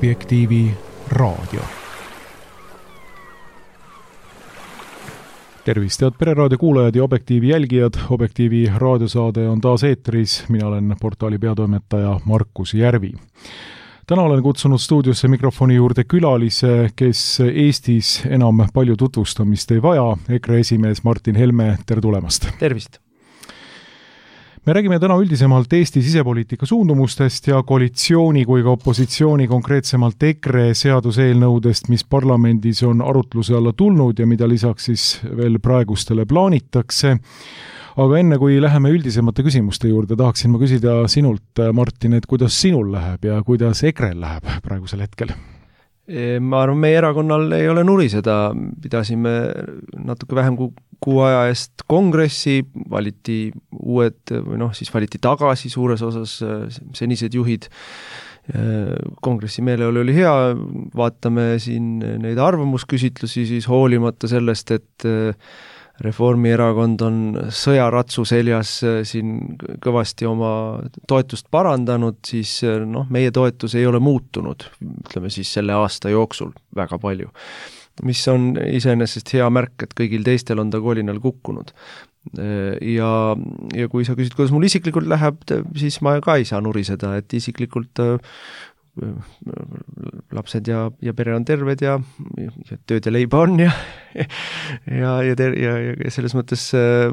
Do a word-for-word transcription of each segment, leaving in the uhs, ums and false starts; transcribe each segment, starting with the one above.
Objektiivi raadio. Tervist, head Pereraadio kuulajad ja Objektiivi jälgijad. Objektiivi raadiosaade on taas eetris. Mina olen portaali peatoimetaja Markus Järvi. Täna olen kutsunud stuudiosse mikrofoni juurde külalise, kes Eestis enam palju tutvustamist ei vaja. EKRE esimees Martin Helme, tere tulemast! Tervist! Me räägime täna üldisemalt Eesti sisepoliitika suundumustest ja koalitsiooni kui ka opositsiooni, konkreetsemalt EKRE seaduseelnõudest, mis parlamendis on arutluse alla tulnud ja mida lisaks siis veel praegustele plaanitakse. Aga enne kui läheme üldisemate küsimuste juurde, tahaksin ma küsida sinult, Martin, et kuidas sinul läheb ja kuidas EKRE-l läheb praegusel hetkel? Ma arvan, meie erakonnal ei ole nuriseda. Pidasime natuke vähem kui kuu aja eest kongressi, valiti uued, või noh, siis valiti tagasi suures osas senised juhid. Kongressi meeleolu oli hea, vaatame siin neid arvamusküsitlusi, siis hoolimata sellest, et Reformierakond on sõjaratsu seljas siin kõvasti oma toetust parandanud, siis noh, meie toetus ei ole muutunud, ütleme siis selle aasta jooksul väga palju, mis on iseenesest hea märk, et kõigil teistel on ta kolinal kukkunud. Ja, ja kui sa küsid, kuidas mul isiklikult läheb, siis ma ka ei saa nuriseda, et isiklikult lapsed ja, ja pere on terved ja, ja tööd ja leiba on ja, ja, ja, ter, ja, ja selles mõttes äh,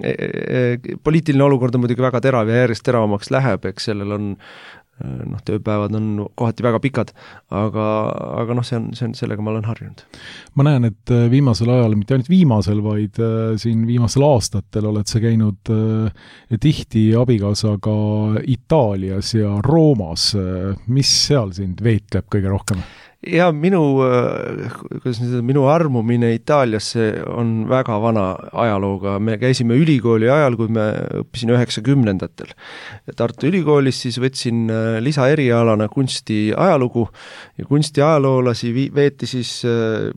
äh, poliitiline olukord on muidugi väga terav ja järjest teravamaks läheb, eks sellel on noh, tööpäevad on kohati väga pikad, aga, aga noh, see on, see on, sellega ma olen harjunud. Ma näen, et viimasel ajal, mitte ainult viimasel, vaid äh, siin viimasel aastatel oled sa käinud äh, tihti abikaasaga Itaalias ja Roomas. Mis seal sind veetleb kõige rohkem? Ja minu, kuidas nüüd, minu armumine Itaaliasse on väga vana ajalooga. Me käisime ülikooli ajal, kui me õppisin üheksakümnendatel. Tartu ülikoolis siis võtsin lisaerialana kunsti ajalugu ja kunsti ajaloolasi veeti siis,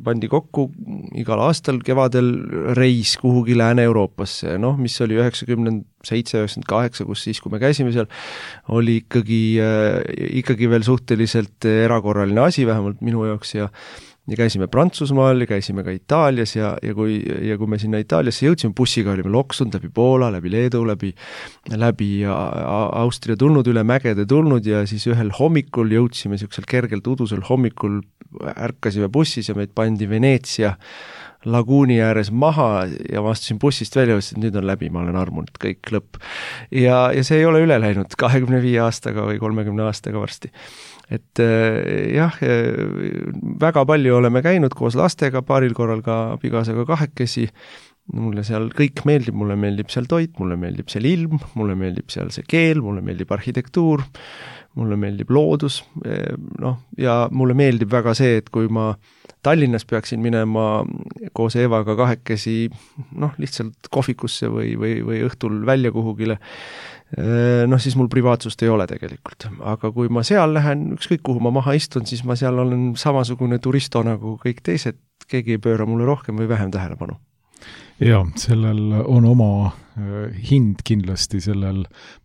pandi kokku igal aastal kevadel reis kuhugi Lääne-Euroopasse, noh, mis oli üheksakümmend seitse üheksakümmend kaheksa, kus siis, kui me käisime seal, oli ikkagi, ikkagi veel suhteliselt erakorraline asi, vähemalt minu jaoks, ja, ja käisime Prantsusmaal ja käisime ka Itaalias ja, ja, kui, ja kui me sinna Itaaliasse jõudsime bussiga, olime loksunud läbi Poola, läbi Leedu, läbi, läbi Austria tulnud, üle mägede tulnud ja siis ühel hommikul jõudsime niisugusel kergelt udusel hommikul, ärkasime bussis ja meid pandi Veneetsia laguuni ääres maha ja ma astusin bussist välja ja ütlesin, et nüüd on läbi, ma olen armunud, kõik lõpp. Ja, ja see ei ole üle läinud kahekümne viie aastaga või kolmekümne aastaga varsti. Et jah, väga palju oleme käinud koos lastega, paaril korral ka abikaasaga kahekesi. Mulle seal kõik meeldib, mulle meeldib seal toit, mulle meeldib seal ilm, mulle meeldib seal see keel, mulle meeldib arhitektuur, mulle meeldib loodus, noh, ja mulle meeldib väga see, et kui ma Tallinnas peaksin minema koos Eevaga kahekesi, noh, lihtsalt kohvikusse või, või, või õhtul välja kuhugile, noh, siis mul privaatsust ei ole tegelikult. Aga kui ma seal lähen, ükskõik kuhu ma maha istun, siis ma seal olen samasugune turisto nagu kõik teised, keegi ei pööra mulle rohkem või vähem tähelepanu. Ja, sellel on oma hind kindlasti sellel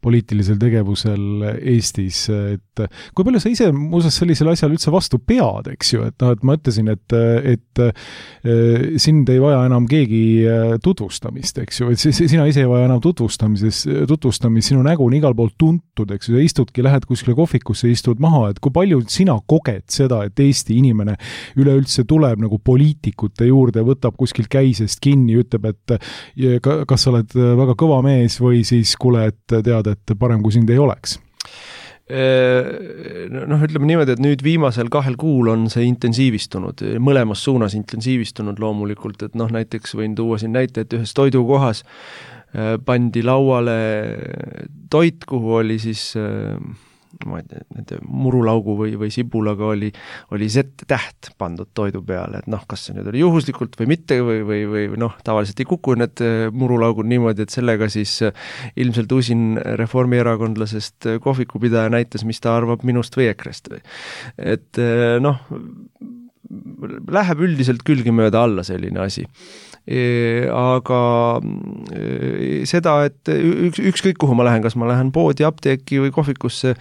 poliitilisel tegevusel Eestis, et kui palju sa ise muuseas sellisel asjal üldse vastu pead, eks ju, et, no, et ma ütlesin, et, et sind ei vaja enam keegi tutvustamist, eks ju, et sina ise ei vaja enam tutvustamises, tutvustamist, sinu nägu on igal pool tuntud, eks ju, sa istudki, lähed kuskile kohvikusse, istud maha, et kui palju sina koged seda, et Eesti inimene üleüldse tuleb nagu poliitikute juurde, võtab kuskilt käisest kinni, ütleb, et kas sa oled väga kõva mees või siis kuule, et tead, et parem kui sind ei oleks? Noh, ütleme niimoodi, et nüüd viimasel kahel kuul on see intensiivistunud, mõlemas suunas intensiivistunud loomulikult, et noh, näiteks võin tuua siin näite, et ühes toidukohas pandi lauale toit, kuhu oli siis ma ei tea, nende murulaugu või, või sibulaga oli, oli Z-täht pandud toidu peale, et noh, kas see nüüd oli juhuslikult või mitte või, või, või noh, tavaliselt ei kuku need murulaugud niimoodi, et sellega siis ilmselt usin reformierakondlasest kohvikupidaja näitas, mis ta arvab minust või Ekrest. Et noh, läheb üldiselt külgi mööda alla selline asi. aga seda, et üks, ükskõik kuhu ma lähen, kas ma lähen poodi, apteeki või kohvikusse,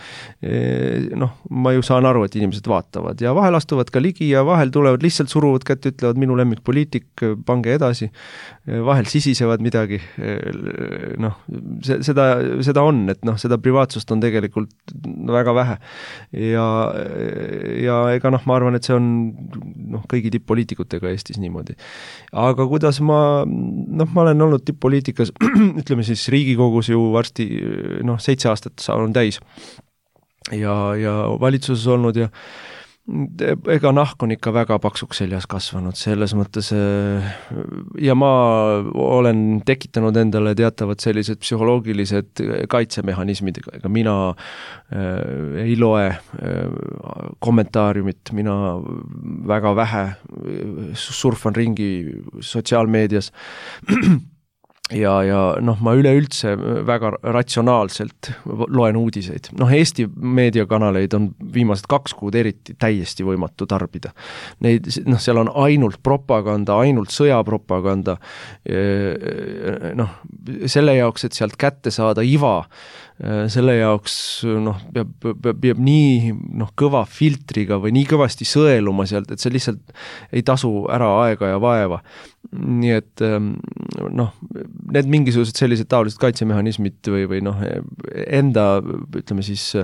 noh, ma ju saan aru, et inimesed vaatavad ja vahel astuvad ka ligi ja vahel tulevad, lihtsalt suruvad kätt, ütlevad minu lemmikpoliitik, pange edasi, vahel sisisevad midagi, noh, seda, seda on, et noh, seda privaatsust on tegelikult väga vähe ja, ja ega noh, ma arvan, et see on noh, kõigi tipp-poliitikutega Eestis niimoodi. Aga kuidas ma, noh, ma olen olnud tipp-poliitikas, ütleme siis Riigikogus ju varsti noh, seitse aastat on täis ja, ja valitsuses olnud ja ega nahk on ikka väga paksuks seljas kasvanud, selles mõttes ja ma olen tekitanud endale teatavad sellised psühholoogilised kaitsemehhanismid, ega mina äh, ei loe äh, kommentaariumit, mina väga vähe surfan ringi sotsiaalmeedias ja, ja noh, ma üleüldse väga ratsionaalselt loen uudiseid. Noh, Eesti meediakanaleid on viimased kaks kuud eriti täiesti võimatu tarbida. Neid, noh, seal on ainult propaganda, ainult sõjapropaganda. Noh, selle jaoks, et sealt kätte saada iva, selle jaoks noh, peab, peab, peab nii noh, kõva filtriga või nii kõvasti sõeluma sealt, et see lihtsalt ei tasu ära aega ja vaeva. Nii et noh, need mingisugused sellised taolised kaitsemehhanismid või, või noh, enda, ütleme siis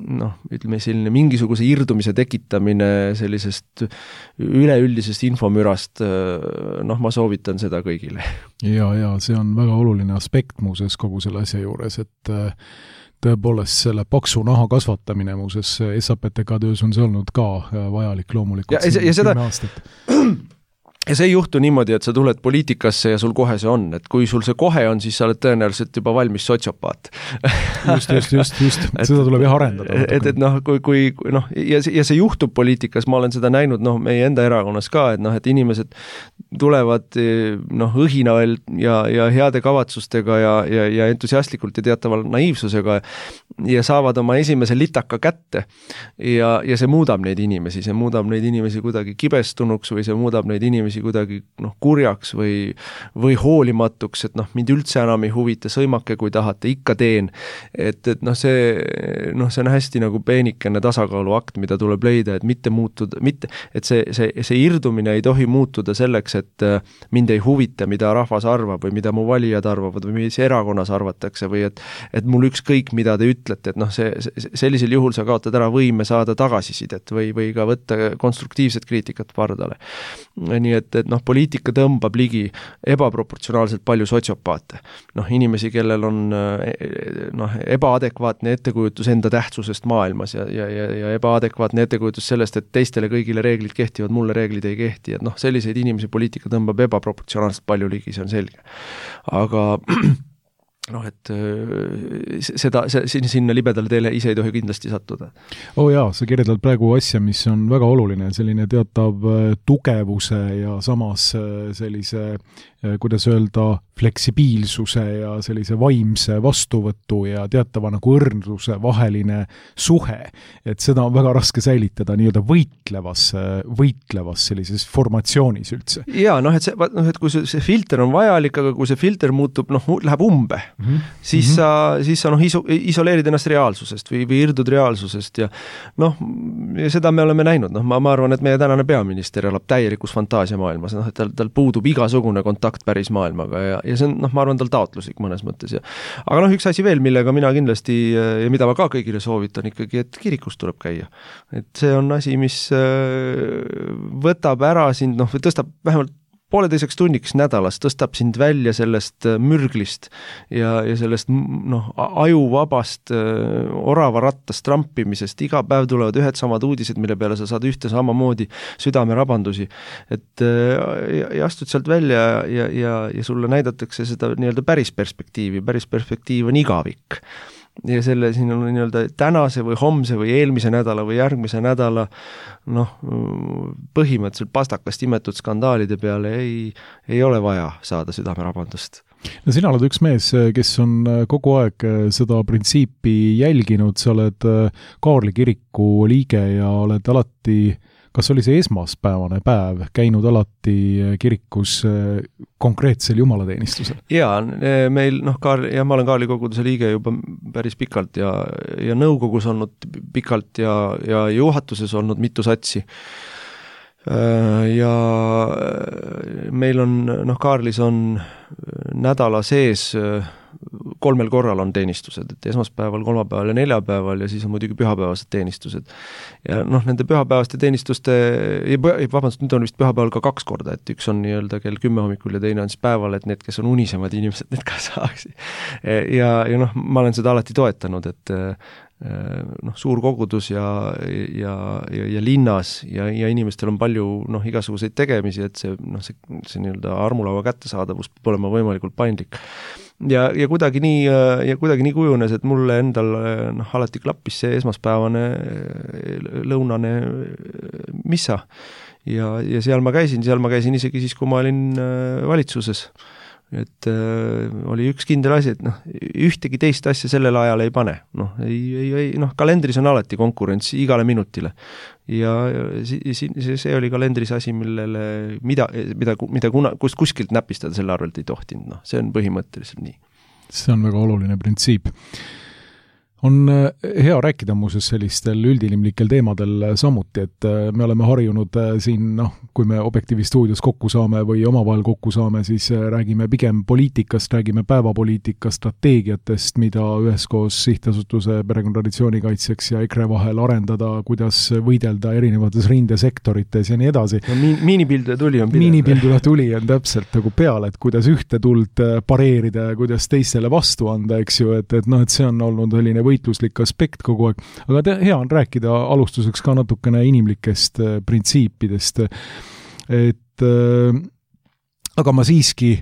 noh, ütleme selline mingisuguse irdumise tekitamine sellisest üleüldisest infomürast, noh, ma soovitan seda kõigile. Ja, ja see on väga oluline aspekt muuses kogu selle asja juures, et tõepoolest selle paksu naha kasvatamine muuses S A P T K töös on see olnud ka vajalik loomulikult. Ja, ja, ja seda ja see ei juhtu niimoodi, et sa tuled poliitikasse ja sul kohe see on, et kui sul see kohe on, siis sa oled tõenäoliselt juba valmis sotsiopaat. just, just, just, just. Seda tuleb jah arendada. Et, et noh, kui, kui noh, ja, ja see juhtub poliitikas, ma olen seda näinud noh, meie enda erakonnas ka, et noh, et inimesed tulevad noh, õhinal ja, ja heade kavatsustega ja, ja, ja entusiastlikult ja teataval naiivsusega ja saavad oma esimese litaka kätte ja, ja see muudab neid inimesi, see muudab neid inimesi kuidagi kibestunuks või see muudab neid inimesi kuidagi noh, kurjaks või, või hoolimatuks, et noh, mind üldse enam ei huvita, sõimake kui tahate, ikka teen. Et, et noh, see, noh, see on hästi nagu peenikene tasakaaluakt, mida tuleb leida, et mitte muutuda, mitte, et see, see, see irdumine ei tohi muutuda selleks, et mind ei huvita, mida rahvas arvab või mida mu valijad arvavad või mis erakonnas arvatakse või et, et mul ükskõik, mida te ütlete, et noh, see, sellisel juhul sa kaotad ära võime saada tagasisidet või, või ka võtta konstruktiivset kriitikat pardale. Nii et, et noh, poliitika tõmbab ligi ebaproportsionaalselt palju sotsiopaate. Noh, inimesi, kellel on noh, ebaadekvaatne ettekujutus enda tähtsusest maailmas ja, ja, ja, ja ebaadekvaatne ettekujutus sellest, et teistele kõigile reeglid kehtivad, mulle reeglid ei kehti, et noh, selliseid inimesi poliitika tõmbab ebaproportsionaalselt palju ligi, see on selge. Aga noh, et seda, see, sinna libedale teele ise ei tohi kindlasti sattuda. Oh jaa, sa kirjeldad praegu asja, mis on väga oluline, selline teatav tugevuse ja samas sellise, kuidas öelda, fleksibiilsuse ja sellise vaimse vastuvõtu ja teatava nagu õrnluse vaheline suhe. Et seda on väga raske säilitada nii-öelda võitlevas, võitlevas sellises formatsioonis üldse. Jaa, noh, et, see, noh, et kui see filter on vajalik, aga kui see filter muutub, noh, läheb umbe, mm-hmm. siis, mm-hmm. sa, siis sa noh, iso, isoleerid ennast reaalsusest või, või irdud reaalsusest ja noh, ja seda me oleme näinud. Noh, ma, ma arvan, et meie tänane peaminister elab täielikus fantaasiamaailmas, noh, et tal, tal puudub igasugune kontakt päris maailmaga ja, ja see on, noh, ma arvan, tal taotluslik mõnes mõttes. Ja. Aga noh, üks asi veel, millega mina kindlasti ja mida ma ka kõigile soovitan ikkagi, et kirikus tuleb käia. Et see on asi, mis võtab ära sind, noh, või tõstab vähemalt pooleteiseks tunniks nädalas, tõstab sind välja sellest mürglist ja, ja sellest noh, ajuvabast oravarattast trampimisest. Iga päev tulevad ühed samad uudised, mille peale sa saad ühte samamoodi südamerabandusi. Et ja, ja astud sealt välja ja, ja, ja sulle näidatakse seda nii-öelda päris perspektiivi. Päris perspektiiv on igavik. Ja selle siin on nii-öelda tänase või homse või eelmise nädala või järgmise nädala noh, põhimõtteliselt pastakast imetud skandaalide peale ei, ei ole vaja saada südamerabandust. No sina oled üks mees, kes on kogu aeg seda printsiipi jälginud, sa oled Kaarli kiriku liige ja oled alati kas oli see esmaspäevane päev käinud alati kirikus konkreetsel jumalateenistusel? Jaa, meil, noh, Kaarli, ja ma olen Kaarli koguduse liige juba päris pikalt ja, ja nõukogus olnud pikalt ja, ja juhatuses olnud mitu satsi. Ja meil on, noh, Kaarlis on nädala sees kolmel korral on teenistused, et esmaspäeval, kolmapäeval ja neljapäeval ja siis on muidugi pühapäevased teenistused. Ja noh, nende pühapäevaste teenistuste, vabandust, nüüd on vist pühapäeval ka kaks korda, et üks on nii-öelda kell kümme hommikul ja teine on siis päeval, et need, kes on unisemad inimesed, need ka saaks. Ja, ja noh, ma olen seda alati toetanud, et noh, suur kogudus ja, ja, ja, ja linnas ja, ja inimestel on palju noh, igasuguseid tegemisi, et see, noh, see, see nii-öelda armulaua kättesaadavus peab olema võimalikult paindlik. Ja, ja kuidagi nii, ja kuidagi nii kujunes, et mulle endal noh, alati klappis see esmaspäevane lõunane missa. Ja, ja seal ma käisin, seal ma käisin isegi siis, kui ma olin valitsuses. Et äh, oli üks kindel asi, et noh, ühtegi teist asja sellel ajal ei pane. Noh, ei, ei, ei, noh, kalendris on alati konkurents igale minutile. Ja see, see oli kalendris asi, millele, mida, mida, mida kuna, kust kuskilt näpistada selle arvelt ei tohtinud. No, see on põhimõtteliselt nii. See on väga oluline printsiip. On hea rääkida muuseas sellistel üldinimlikel teemadel samuti, et me oleme harjunud siin, noh, kui me Objektiivi stuudios kokku saame või omavahel kokku saame, siis räägime pigem poliitikast, räägime päevapoliitikast, strateegiatest, mida üheskoos Sihtasutuse perekonnatraditsiooni kaitseks ja EKRE vahel arendada, kuidas võidelda erinevates rindesektorites ja nii edasi. No, mi- miinipilduja tuli on pidanud. Miinipilduja tuli on täpselt nagu peale, et kuidas ühte tuld pareerida ja kuidas teistele vastu anda, eks ju, et, et noh, et see on olnud selline võitluslik aspekt kogu aeg, aga te, hea on rääkida alustuseks ka natukene inimlikest printsiipidest, et äh, aga ma siiski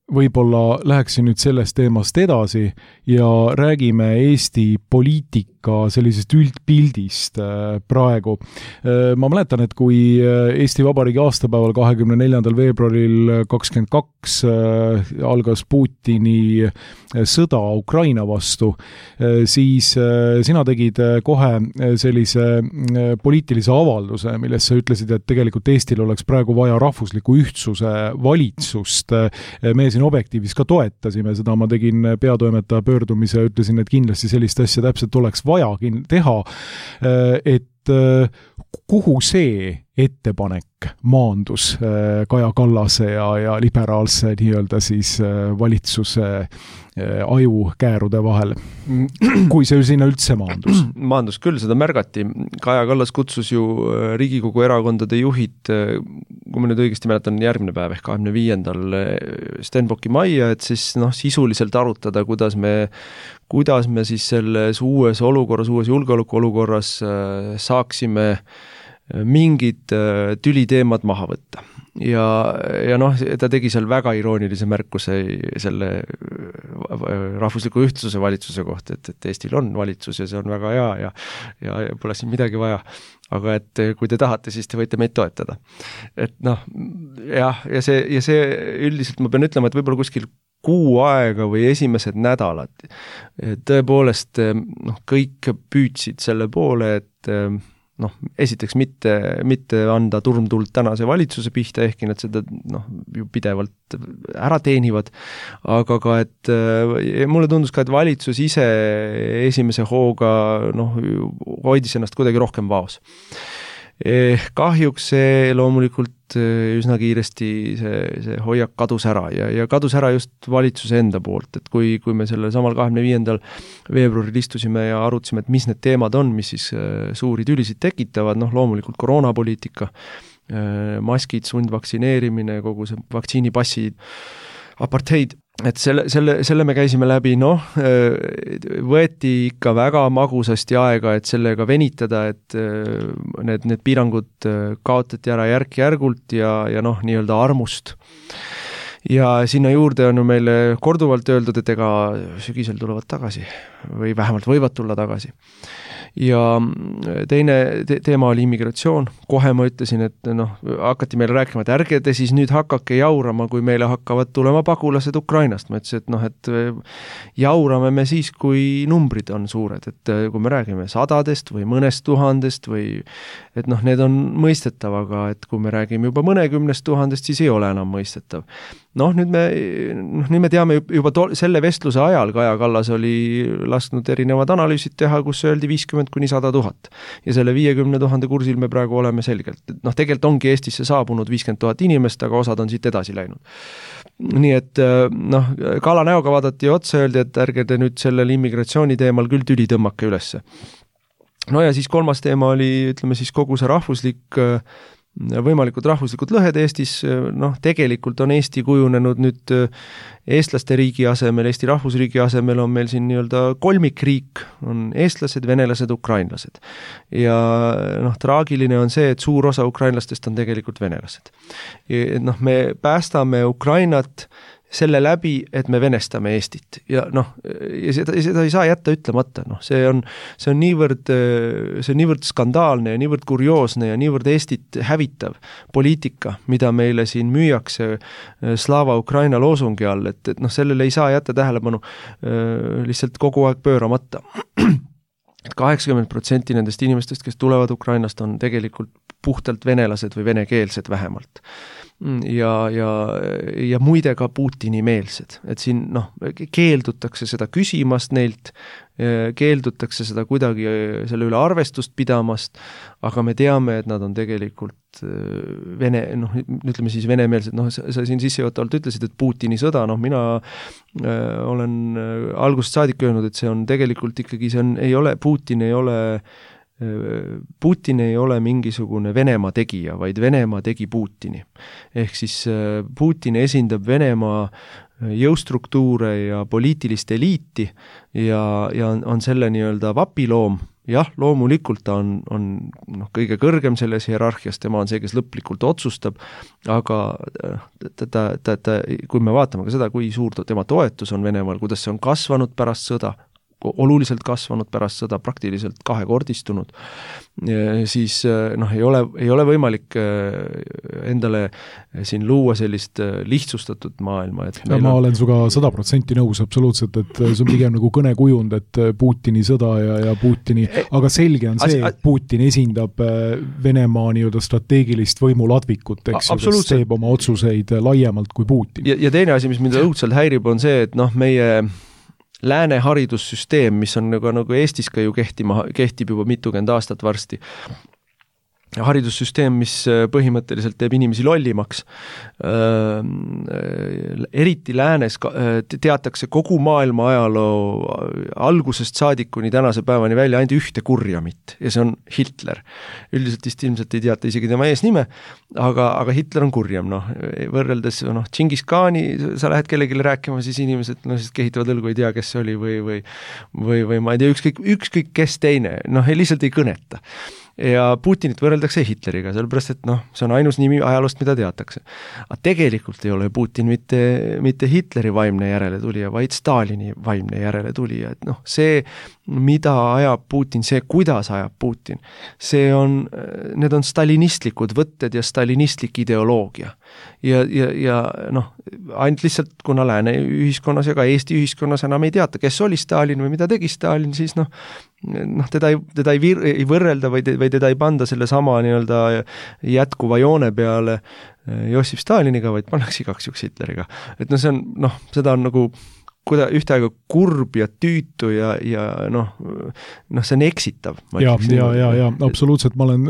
võib-olla läheksin nüüd sellest teemast edasi ja räägime Eesti poliitika sellisest üldpildist praegu. Ma mäletan, et kui Eesti Vabariigi aastapäeval kahekümne neljandal veebruaril kakskümmend kaks algas Putini sõda Ukraina vastu, siis sina tegid kohe sellise poliitilise avalduse, milles sa ütlesid, et tegelikult Eestil oleks praegu vaja rahvusliku ühtsuse valitsust. Me siin Objektiivis ka toetasime seda, ma tegin peatoimetaja pöördumise ja ütlesin, et kindlasti sellist asja täpselt oleks vaja teha, et kuhu see ettepanek maandus Kaja Kallase ja, ja liberaalse nii-öelda siis valitsuse ajukäärude vahel, kui see sinna üldse maandus? Maandus küll, seda märgati. Kaja Kallas kutsus ju Riigikogu erakondade juhid, kui ma nüüd õigesti mäletan, järgmine päev ehk kahekümne viiendal Stenbocki majja, et siis noh, sisuliselt arutada, kuidas me, kuidas me siis selles uues olukorras, uues julgeolekuolukorras saaksime mingid tüliteemad maha võtta. Ja, ja noh, ta tegi seal väga iroonilise märkuse selle rahvusliku ühtsuse valitsuse kohta, et, et Eestil on valitsus ja see on väga hea ja, ja, ja pole siin midagi vaja. Aga et kui te tahate, siis te võite meid toetada. Et noh, jah, ja see, ja see üldiselt ma pean ütlema, et võib-olla kuskil kuu aega või esimesed nädalad tõepoolest noh, kõik püüdsid selle poole, et noh, esiteks mitte, mitte anda turmtuld tänase valitsuse pihta, ehkki nad seda noh, ju pidevalt ära teenivad, aga ka, et mulle tundus ka, et valitsus ise esimese hooga noh, hoidis ennast kuidagi rohkem vaos. Kahjuks see loomulikult üsna kiiresti see, see hoiak kadus ära ja, ja kadus ära just valitsuse enda poolt, et kui, kui me selle samal kahekümne viiendal veebruaril istusime ja arutasime, et mis need teemad on, mis siis suuri tülisid tekitavad, noh loomulikult koroonapoliitika, maskid, sundvaktsineerimine, kogu see vaktsiinipassi apartheid, et selle, selle, selle me käisime läbi, noh, võeti ikka väga magusasti aega, et sellega venitada, et need, need piirangud kaotati ära järk-järgult ja, ja noh, nii-öelda armust. Ja sinna juurde on ju meile korduvalt öeldud, et ega sügisel tulevad tagasi või vähemalt võivad tulla tagasi. ja teine te- teema oli immigratsioon, kohe ma ütlesin, et noh, hakati meile rääkima, et ärge te siis nüüd hakake jaurama, kui meile hakkavad tulema pagulased Ukrainast. Ma ütlesin, et noh, et jaurame me siis, kui numbrid on suured, et kui me räägime sadadest või mõnest tuhandest või et noh, need on mõistetav, aga et kui me räägime juba mõnekümnest tuhandest, siis ei ole enam mõistetav. Noh, nüüd me, noh, nüüd me teame juba to- selle vestluse ajal Kaja Kallas oli lasknud erinevad analüüsid teha, kus öeldi viiskümmend kuni sada tuhat. Ja selle viiekümne tuhande kursil me praegu oleme selgelt. Noh, tegelikult ongi Eestisse saabunud viiskümmend tuhat inimest, aga osad on siit edasi läinud. Nii et noh, Kala näoga vaadati otsa, öeldi, et ärge te nüüd sellel immigratsiooni teemal küll tüli tõmmake ülesse. No ja siis kolmas teema oli, ütleme siis kogu see rahvuslik võimalikud rahvuslikud lõhed Eestis, noh, tegelikult on Eesti kujunenud nüüd eestlaste riigi asemel, Eesti rahvusriigi asemel on meil siin nii-öelda kolmikriik, on eestlased, venelased, ukrainlased. Ja noh, traagiline on see, et suur osa ukrainlastest on tegelikult venelased. Ja, noh, me päästame Ukrainat selle läbi, et me venestame Eestit ja noh, ja seda, seda ei saa jätta ütlemata, noh, see on, see on niivõrd, see on niivõrd skandaalne ja niivõrd kurioosne ja niivõrd Eestit hävitav poliitika, mida meile siin müüakse Slava Ukraina loosungi all, et, et noh, sellele ei saa jätta tähelepanu lihtsalt kogu aeg pööramata. kaheksakümmend protsenti nendest inimestest, kes tulevad Ukrainast, on tegelikult puhtalt venelased või venekeelsed vähemalt. Ja, ja, ja muide ka Putini meelsed, et siin noh, keeldutakse seda küsimast neilt, keeldutakse seda kuidagi selle üle arvestust pidamast, aga me teame, et nad on tegelikult vene, noh, ütleme siis venemeelsed, noh, sa, sa siin sissejuhatavalt ütlesid, et Putini sõda, noh, mina äh, olen algusest saadik öelnud, et see on tegelikult ikkagi, see on, ei ole, Putin ei ole Putin ei ole mingisugune Venemaa tegija, vaid Venemaa tegi Putini. Ehk siis Putin esindab Venemaa jõustruktuure ja poliitilist eliiti ja, ja on, on selle nii-öelda vapiloom. Jah, loomulikult ta on, on noh, kõige kõrgem selles hierarhias, tema on see, kes lõplikult otsustab, aga ta, ta, ta, ta, kui me vaatame ka seda, kui suur tema toetus on Venemaal, kuidas see on kasvanud pärast sõda, oluliselt kasvanud pärast sõda, praktiliselt kahekordistunud, siis noh, ei ole, ei ole võimalik endale siin luua sellist lihtsustatud maailma. Et ja ma on... olen suga sada protsenti nõus absoluutselt, et see on pigem nagu kõnekujund, et Putini sõda ja, ja Putini, aga selge on see, et Putin esindab Venemaa nii-öelda strateegilist võimuladvikut, eks, kes teeb oma otsuseid laiemalt kui Putin. Ja, ja teine asi, mis mind õudselt häirib, on see, et noh, meie lääne haridussüsteem, mis on nagu, nagu Eestis ka ju kehtima, kehtib juba mitukümmend aastat varsti, haridussüsteem, mis põhimõtteliselt teeb inimesi lollimaks. Eriti läänes teatakse kogu maailma ajaloo algusest saadikuni tänase päevani välja ainult ühte kurjamit ja see on Hitler. Üldiselt vist ilmselt ei teata isegi tema eesnime, aga, aga Hitler on kurjam. Noh, võrreldes noh, Džingis Khani, sa lähed kellegile rääkima, siis inimesed no, siis kehitavad õlgu, ei tea, kes see oli või, või, või, või ma ei tea, ükskõik, ükskõik kes teine, noh, lihtsalt ei kõneta. Ja Putinit võrreldakse Hitleriga, sellepärast, et noh, see on ainus nimi ajaloost, mida teatakse. Aga tegelikult ei ole Putin mitte, mitte Hitleri vaimne järeletulija, vaid Stalini vaimne järeletulija. Et noh, see, mida ajab Putin, see, kuidas ajab Putin, see on, need on stalinistlikud võtted ja stalinistlik ideoloogia. Ja, ja, ja noh, ainult lihtsalt, kuna lääne ühiskonnas ja ka Eesti ühiskonnas enam ei teata, kes oli Stalin või mida tegi Stalin, siis noh, noh, teda ei, teda ei, vir, ei võrrelda või, või teda ei panda selle sama nii-öelda jätkuva joone peale Jossif Staliniga, vaid pannakse igaks juks Hitleriga. Et noh, see on, noh, seda on nagu kuida, ühtaega kurb ja tüütu ja, ja noh, noh, see on eksitav. Ja, ja, ja, ja, absoluutselt, ma olen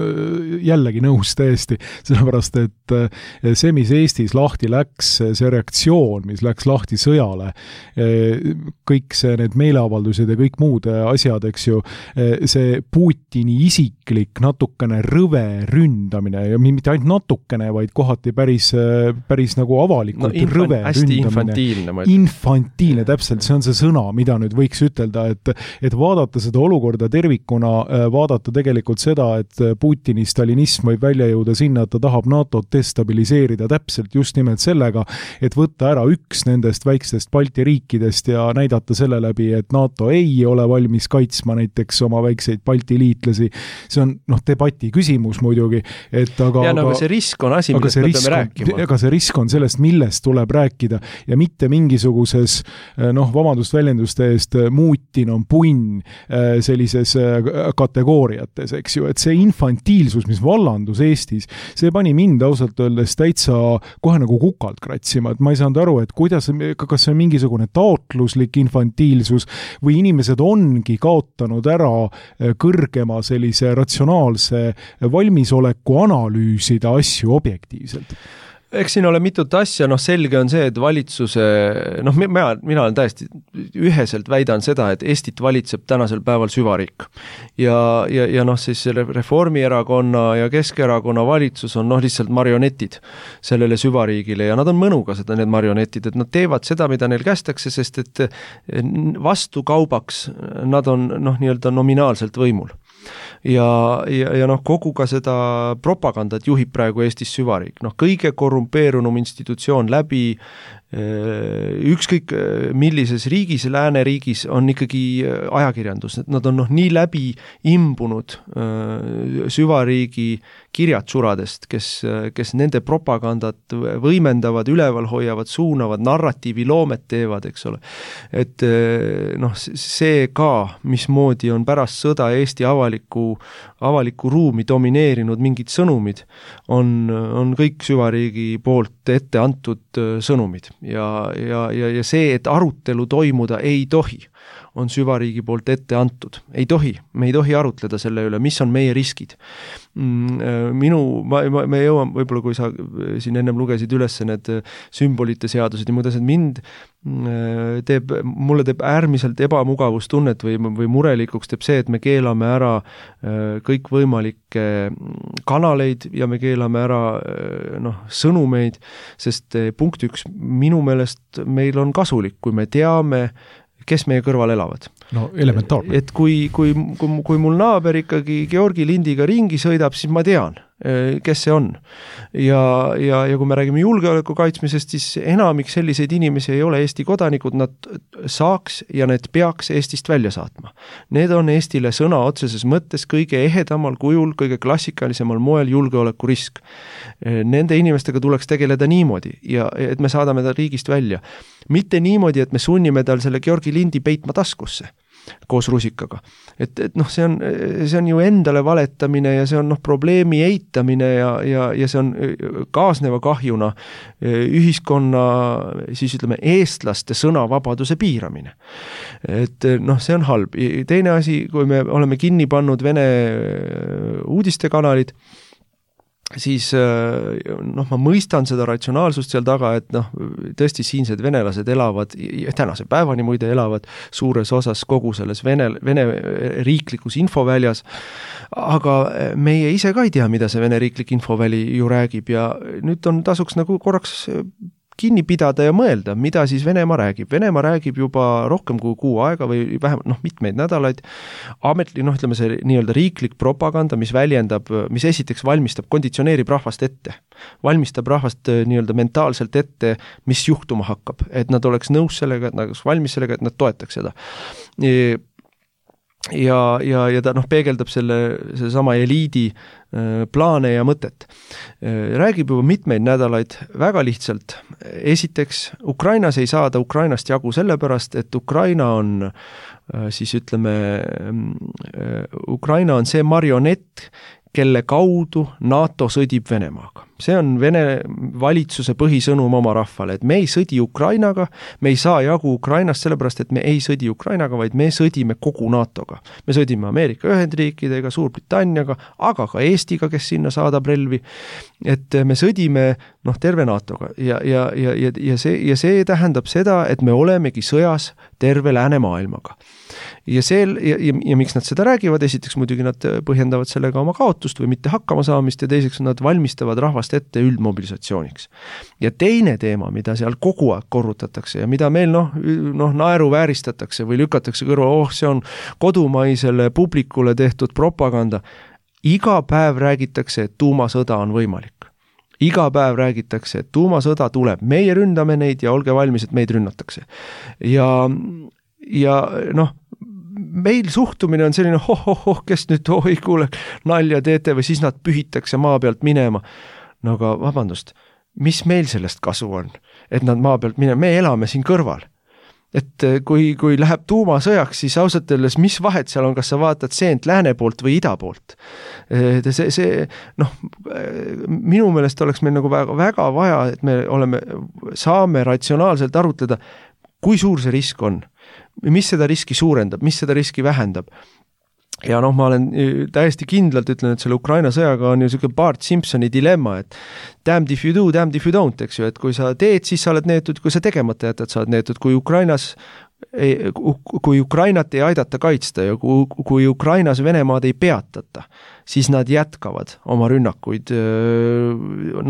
jällegi nõus täiesti, sellepärast, et see, mis Eestis lahti läks, see reaktsioon, mis läks lahti sõjale, kõik see, need meeleavaldused ja kõik muud asjad, eks ju, see Putini isiklik natukene rõve ründamine ja mitte ainult natukene, vaid kohati päris, päris nagu avalikult no, infan, rõve ründamine. Infantiilne. Infantiilne, täpselt, see on see sõna, mida nüüd võiks ütelda, et, et vaadata seda olukorda tervikuna, vaadata tegelikult seda, et Putini stalinism võib välja jõuda sinna, et ta tahab NATOt destabiliseerida täpselt just nimelt sellega, et võtta ära üks nendest väikestest Balti riikidest ja näidata selle läbi, et NATO ei ole valmis kaitsma näiteks oma väikseid Balti liitlasi. See on noh, debati küsimus muidugi, et aga... Ja no, aga see risk on asi, millest me peame rääkima. Aga see risk on sellest, millest tuleb rääkida ja mitte mingisuguses, noh, vabandust väljenduste eest, muutin on punn sellises kategooriates, eks ju, et see infantiilsus, mis vallandus Eestis, see pani mind ausalt öeldes täitsa kohe nagu kukalt kratsima, et ma ei saanud aru, et kuidas, kas see on mingisugune taotluslik infantiilsus või inimesed ongi kaotanud ära kõrgema sellise ratsionaalse valmisoleku analüüsida asju objektiivselt. Eks siin ole mitut asja, noh selge on see, et valitsuse, noh mina, mina olen täiesti üheselt väidan seda, et Eestit valitseb tänasel päeval süvariik. Ja, ja, ja noh siis Reformierakonna ja Keskerakonna valitsus on noh lihtsalt marionetid sellele süvariigile ja nad on mõnuga seda, need marionetid, et nad teevad seda, mida neil kästakse, sest et vastu kaubaks nad on noh nii-öelda nominaalselt võimul. Ja, ja, ja noh, kogu ka seda propagandat juhib praegu Eestis süvariik. Noh, kõige korrumpeerunum institutsioon läbi ükskõik millises riigis, lääneriigis on ikkagi ajakirjandus, et nad on noh nii läbi imbunud süvariigi kirjatsuradest, kes, kes nende propagandat võimendavad, üleval hoiavad, suunavad, narratiivi loomet teevad, eks ole. Et noh, see ka, mismoodi on pärast sõda Eesti avaliku, avaliku ruumi domineerinud mingid sõnumid, on, on kõik süvariigi poolt ette antud sõnumid. Ja, ja, ja, ja see, et arutelu toimuda ei tohi, on süvariigi poolt ette antud. Ei tohi, me ei tohi arutleda selle üle, mis on meie riskid. Minu, ma, ma, me jõuan, võib-olla kui sa siin ennem lugesid üles need sümbolite seadused ja muud asjad, mind teeb, mulle teeb äärmiselt ebamugavustunnet või, või murelikuks teeb see, et me keelame ära kõikvõimalikke kanaleid ja me keelame ära noh, sõnumeid, sest punkt üks, minu meelest meil on kasulik, kui me teame, kes meie kõrval elavad. No elementaarne. Et kui, kui, kui, kui mul naaber ikkagi Georgi lindiga ringi sõidab, siis ma tean, kes see on. Ja, ja, ja kui me räägime julgeoleku kaitsmisest, siis enamik selliseid inimesi ei ole Eesti kodanikud, nad saaks ja need peaks Eestist välja saatma. Need on Eestile sõna otseses mõttes kõige ehedamal kujul, kõige klassikalisemal moel julgeoleku risk. Nende inimestega tuleks tegeleda niimoodi, ja et me saadame ta riigist välja. Mitte niimoodi, et me sunnime tal selle Georgi lindi peitma taskusse koos rusikaga. Et, et noh, see on, see on ju endale valetamine ja see on noh, probleemi eitamine ja, ja, ja see on kaasneva kahjuna ühiskonna, siis ütleme, eestlaste sõnavabaduse piiramine. Et noh, see on halb. Teine asi, kui me oleme kinni pannud Vene uudistekanalid, siis noh, ma mõistan seda ratsionaalsust seal taga, et noh, tõesti siinsed venelased elavad, tänase päevani muide elavad suures osas kogu selles Vene, Vene riiklikus infoväljas, aga meie ise ka ei tea, mida see Vene riiklik infoväli ju räägib ja nüüd on tasuks nagu korraks kinni pidada ja mõelda, mida siis Venemaa räägib. Venemaa räägib juba rohkem kui kuu aega või vähemalt noh, mitmeid nädalaid. Ametli, noh, ütleme see nii-öelda riiklik propaganda, mis väljendab, mis esiteks valmistab, konditsioneerib rahvast ette. Valmistab rahvast nii-öelda mentaalselt ette, mis juhtuma hakkab. Et nad oleks nõus sellega, et nad oleks valmis sellega, et nad toetaks seda. Ja, ja, ja ta noh, peegeldab selle, selle sama eliidi plaane ja mõtet. Räägib juba mitmeid nädalaid väga lihtsalt. Esiteks, Ukrainas ei saada Ukrainast jagu sellepärast, et Ukraina on siis ütleme, Ukraina on see marionett, kelle kaudu NATO sõdib Venemaaga. See on Vene valitsuse põhisõnum oma rahvale, et me ei sõdi Ukrainaga, me ei saa jagu Ukrainast sellepärast, et me ei sõdi Ukrainaga, vaid me sõdime kogu NATOga. Me sõdime Ameerika Ühendriikidega, Suurbritanniaga, aga ka Eestiga, kes sinna saadab relvi. Et me sõdime noh, terve NATOga ja, ja, ja, ja, ja, see, ja see tähendab seda, et me olemegi sõjas terve läänemaailmaga. Ja, see, ja, ja, ja miks nad seda räägivad, esiteks muidugi nad põhjendavad sellega oma kaotust või mitte hakkama saamist ja teiseks nad valmistavad rahvast ennast ette üldmobilisatsiooniks. Ja teine teema, mida seal kogu aeg korrutatakse ja mida meil noh, noh naeru vääristatakse või lükatakse kõrva, oh see on kodumaisele publikule tehtud propaganda. Iga päev räägitakse, et tuumasõda on võimalik. Iga päev räägitakse, et tuumasõda tuleb, meie ründame neid ja olge valmis, et meid rünnatakse. Ja, ja noh, meil suhtumine on selline, oh, oh, oh, kes nüüd, oi kuule, nalja teete või siis nad pühitakse maa pealt minema. No aga vabandust, mis meil sellest kasu on, et nad maa pealt minema, me elame siin kõrval. Et kui, kui läheb tuumasõjaks, siis ausalt öeldes, mis vahet seal on, kas sa vaatad seent lääne poolt või ida poolt. See, see, noh, minu meelest oleks meil nagu väga, väga vaja, et me oleme, saame ratsionaalselt arutleda, kui suur see risk on, mis seda riski suurendab, mis seda riski vähendab. Ja noh, ma olen täiesti kindlalt ütlen, et selle Ukraina sõjaga on ju selline Bart Simpsoni dilemma, et damned if you do, damned if you don't, eks ju, et kui sa teed, siis sa oled neetud, kui sa tegemata jätad, sa oled neetud, kui Ukrainas ei, kui Ukrainat ei aidata kaitsta ja kui, kui Ukrainas Venemaad ei peatata, siis nad jätkavad oma rünnakuid öö,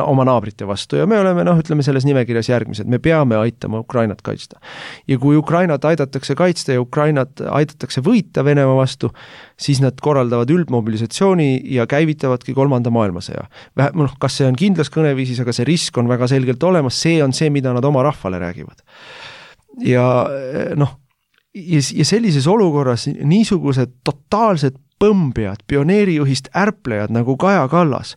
oma naabrite vastu ja me oleme, noh, ütleme selles nimekirjas järgmised, me peame aitama Ukrainat kaitsta. Ja kui Ukrainat aidatakse kaitsta ja Ukrainat aidatakse võita Venemaa vastu, siis nad korraldavad üldmobilisatsiooni ja käivitavadki kolmanda maailmasõja. Noh, kas see on kindlas kõneviisis, aga see risk on väga selgelt olemas, see on see, mida nad oma rahvale räägivad. Ja noh, ja, ja sellises olukorras niisugused totaalsed põmbjad, pioneerijuhist ärplejad nagu Kaja Kallas,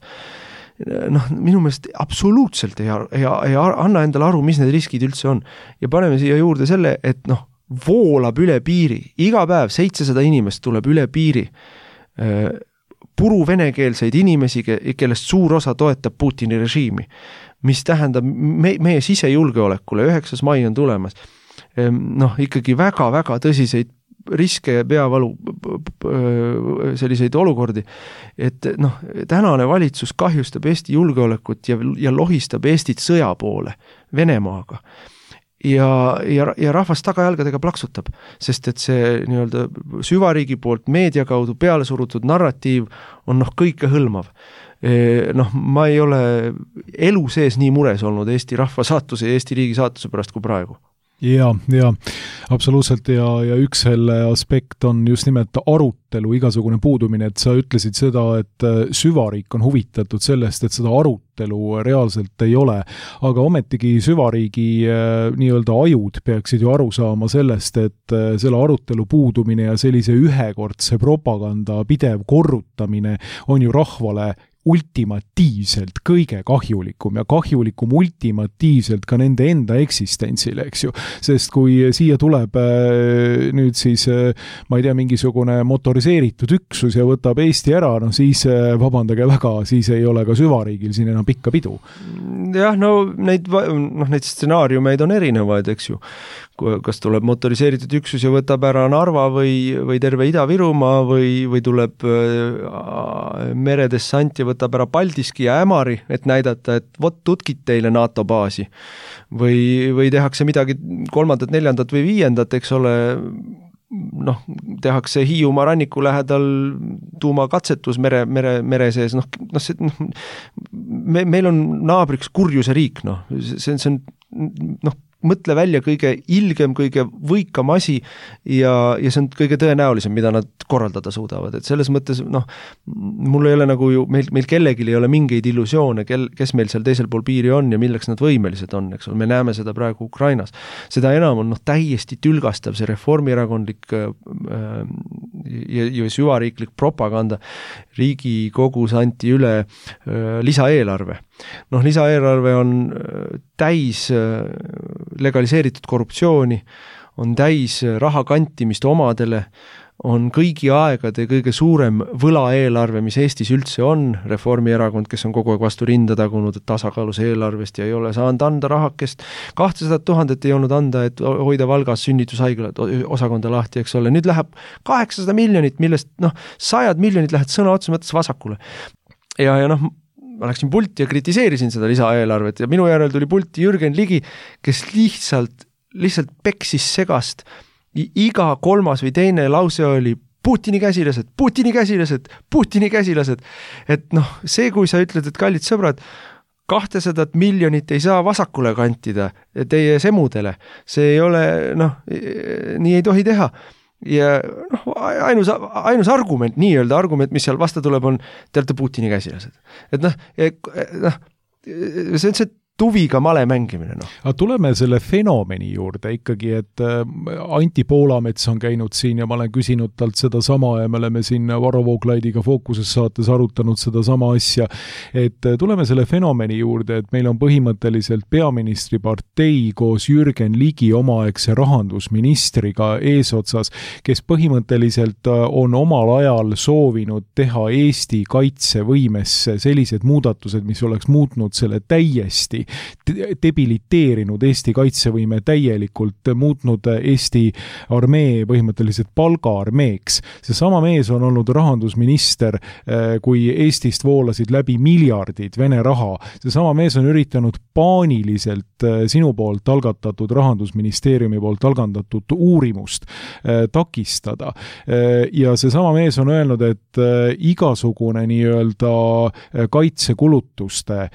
noh, minu meelest absoluutselt ei, ei, ei anna endale aru, mis need riskid üldse on. Ja paneme siia juurde selle, et noh, voolab üle piiri, iga päev seitsesada inimest tuleb üle piiri, puru venekeelseid inimesi, kellest suur osa toetab Putini režiimi, mis tähendab me, meie sisejulgeolekule, üheksas mai on tulemas, noh, ikkagi väga-väga tõsiseid riske ja peavalu selliseid olukordi, et noh, tänane valitsus kahjustab Eesti julgeolekut ja, ja lohistab Eestit sõja poole Venemaaga. Ja, ja, ja rahvas tagajalgadega plaksutab, sest et see nii-öelda süvariigi poolt meedia kaudu peale surutud narratiiv on noh kõike hõlmav. Noh, ma ei ole elu sees nii mures olnud Eesti rahva saatuse ja Eesti riigi saatuse pärast kui praegu. Ja, ja absoluutselt ja, ja üks selle aspekt on just nimelt arutelu igasugune puudumine, et sa ütlesid seda, et süvariik on huvitatud sellest, et seda arutelu reaalselt ei ole, aga ometigi süvariigi nii-öelda ajud peaksid ju aru saama sellest, et selle arutelu puudumine ja sellise ühekordse propaganda pidev korrutamine on ju rahvale ultimatiivselt kõige kahjulikum ja kahjulikum ultimatiivselt ka nende enda eksistentsile, eks ju. Sest kui siia tuleb nüüd siis, ma ei tea, mingisugune motoriseeritud üksus ja võtab Eesti ära, no siis vabandage väga, siis ei ole ka süvariigil siin enam pikka pidu. Jah, no neid, noh, neid stsenaariumeid on erinevaid, eks ju. Kas tuleb motoriseeritud üksus ja võtab ära Narva või, või terve Ida-Virumaa või, või tuleb meredessant ja võtab ära Paldiski ja Ämari, et näidata, et vot tutkid teile NATO baasi. Või, või tehakse midagi kolmandat, neljandat või viiendat, eks ole, noh, tehakse Hiiumaa ranniku lähedal tuumakatsetus mere, mere, mere sees, noh, noh, see, noh me, meil on naabriks kurjuse riik, noh, see, see on, noh, mõtle välja kõige ilgem, kõige võikam asi ja, ja see on kõige tõenäolisem, mida nad korraldada suudavad. Et selles mõttes, noh, mul ei ole nagu ju, meil, meil kellegil ei ole mingeid illusioone, kel, kes meil seal teisel pool piiri on ja milleks nad võimelised on, eks ole, me näeme seda praegu Ukrainas. Seda enam on noh, täiesti tülgastav see reformierakondlik äh, ja, ja süvariiklik propaganda. Riigikogus anti üle äh, lisaeelarve. Noh, lisaeelarve on täis legaliseeritud korruptsiooni, on täis raha kantimist omadele, on kõigi aegade kõige suurem võlaeelarve, mis Eestis üldse on, Reformierakond, kes on kogu aeg vastu rinda tagunud tasakaalus eelarvest ja ei ole saanud anda rahakest, kahtesada tuhandet ei olnud anda, et hoida Valgas sünnitushaigla osakonda lahti, eks ole, nüüd läheb kaheksasada miljonit, millest noh, sajad miljonid lähed sõna otsa mõttes vasakule. Ja, ja noh, ma läksin pulti ja kritiseerisin seda lisaeelarvet ja minu järel tuli pulti Jürgen Ligi, kes lihtsalt, lihtsalt peksis segast. Iga kolmas või teine lause oli Putini käsilased, Putini käsilased, Putini käsilased. Et noh, see, kui sa ütled, et kallid sõbrad, kahtesadat miljonit ei saa vasakule kantida teie semudele. See ei ole, noh, nii ei tohi teha. Ja noh, ainus, ainus argument, nii-öelda argument, mis seal vasta tuleb, on te olete Putini käsilased. Et noh, noh see on see tuviga male mängimine. No. Aga tuleme selle fenomeni juurde ikkagi, et Anti Poolamets on käinud siin ja ma olen küsinud talt seda sama ja me oleme siin Varro Vooglaidiga Fookuses saates arutanud seda sama asja, et tuleme selle fenomeni juurde, et meil on põhimõtteliselt peaministri partei koos Jürgen Ligi omaaegse rahandusministriga eesotsas, kes põhimõtteliselt on omal ajal soovinud teha Eesti kaitsevõimesse sellised muudatused, mis oleks muutnud selle täiesti debiliteerinud Eesti kaitsevõime täielikult, muutnud Eesti armee põhimõtteliselt palgaarmeeks. See sama mees on olnud rahandusminister, kui Eestist voolasid läbi miljardid Vene raha. See sama mees on üritanud paaniliselt sinu poolt algatatud rahandusministeeriumi poolt algatatud uurimust takistada. Ja see sama mees on öelnud, et igasugune nii-öelda kaitsekulutuste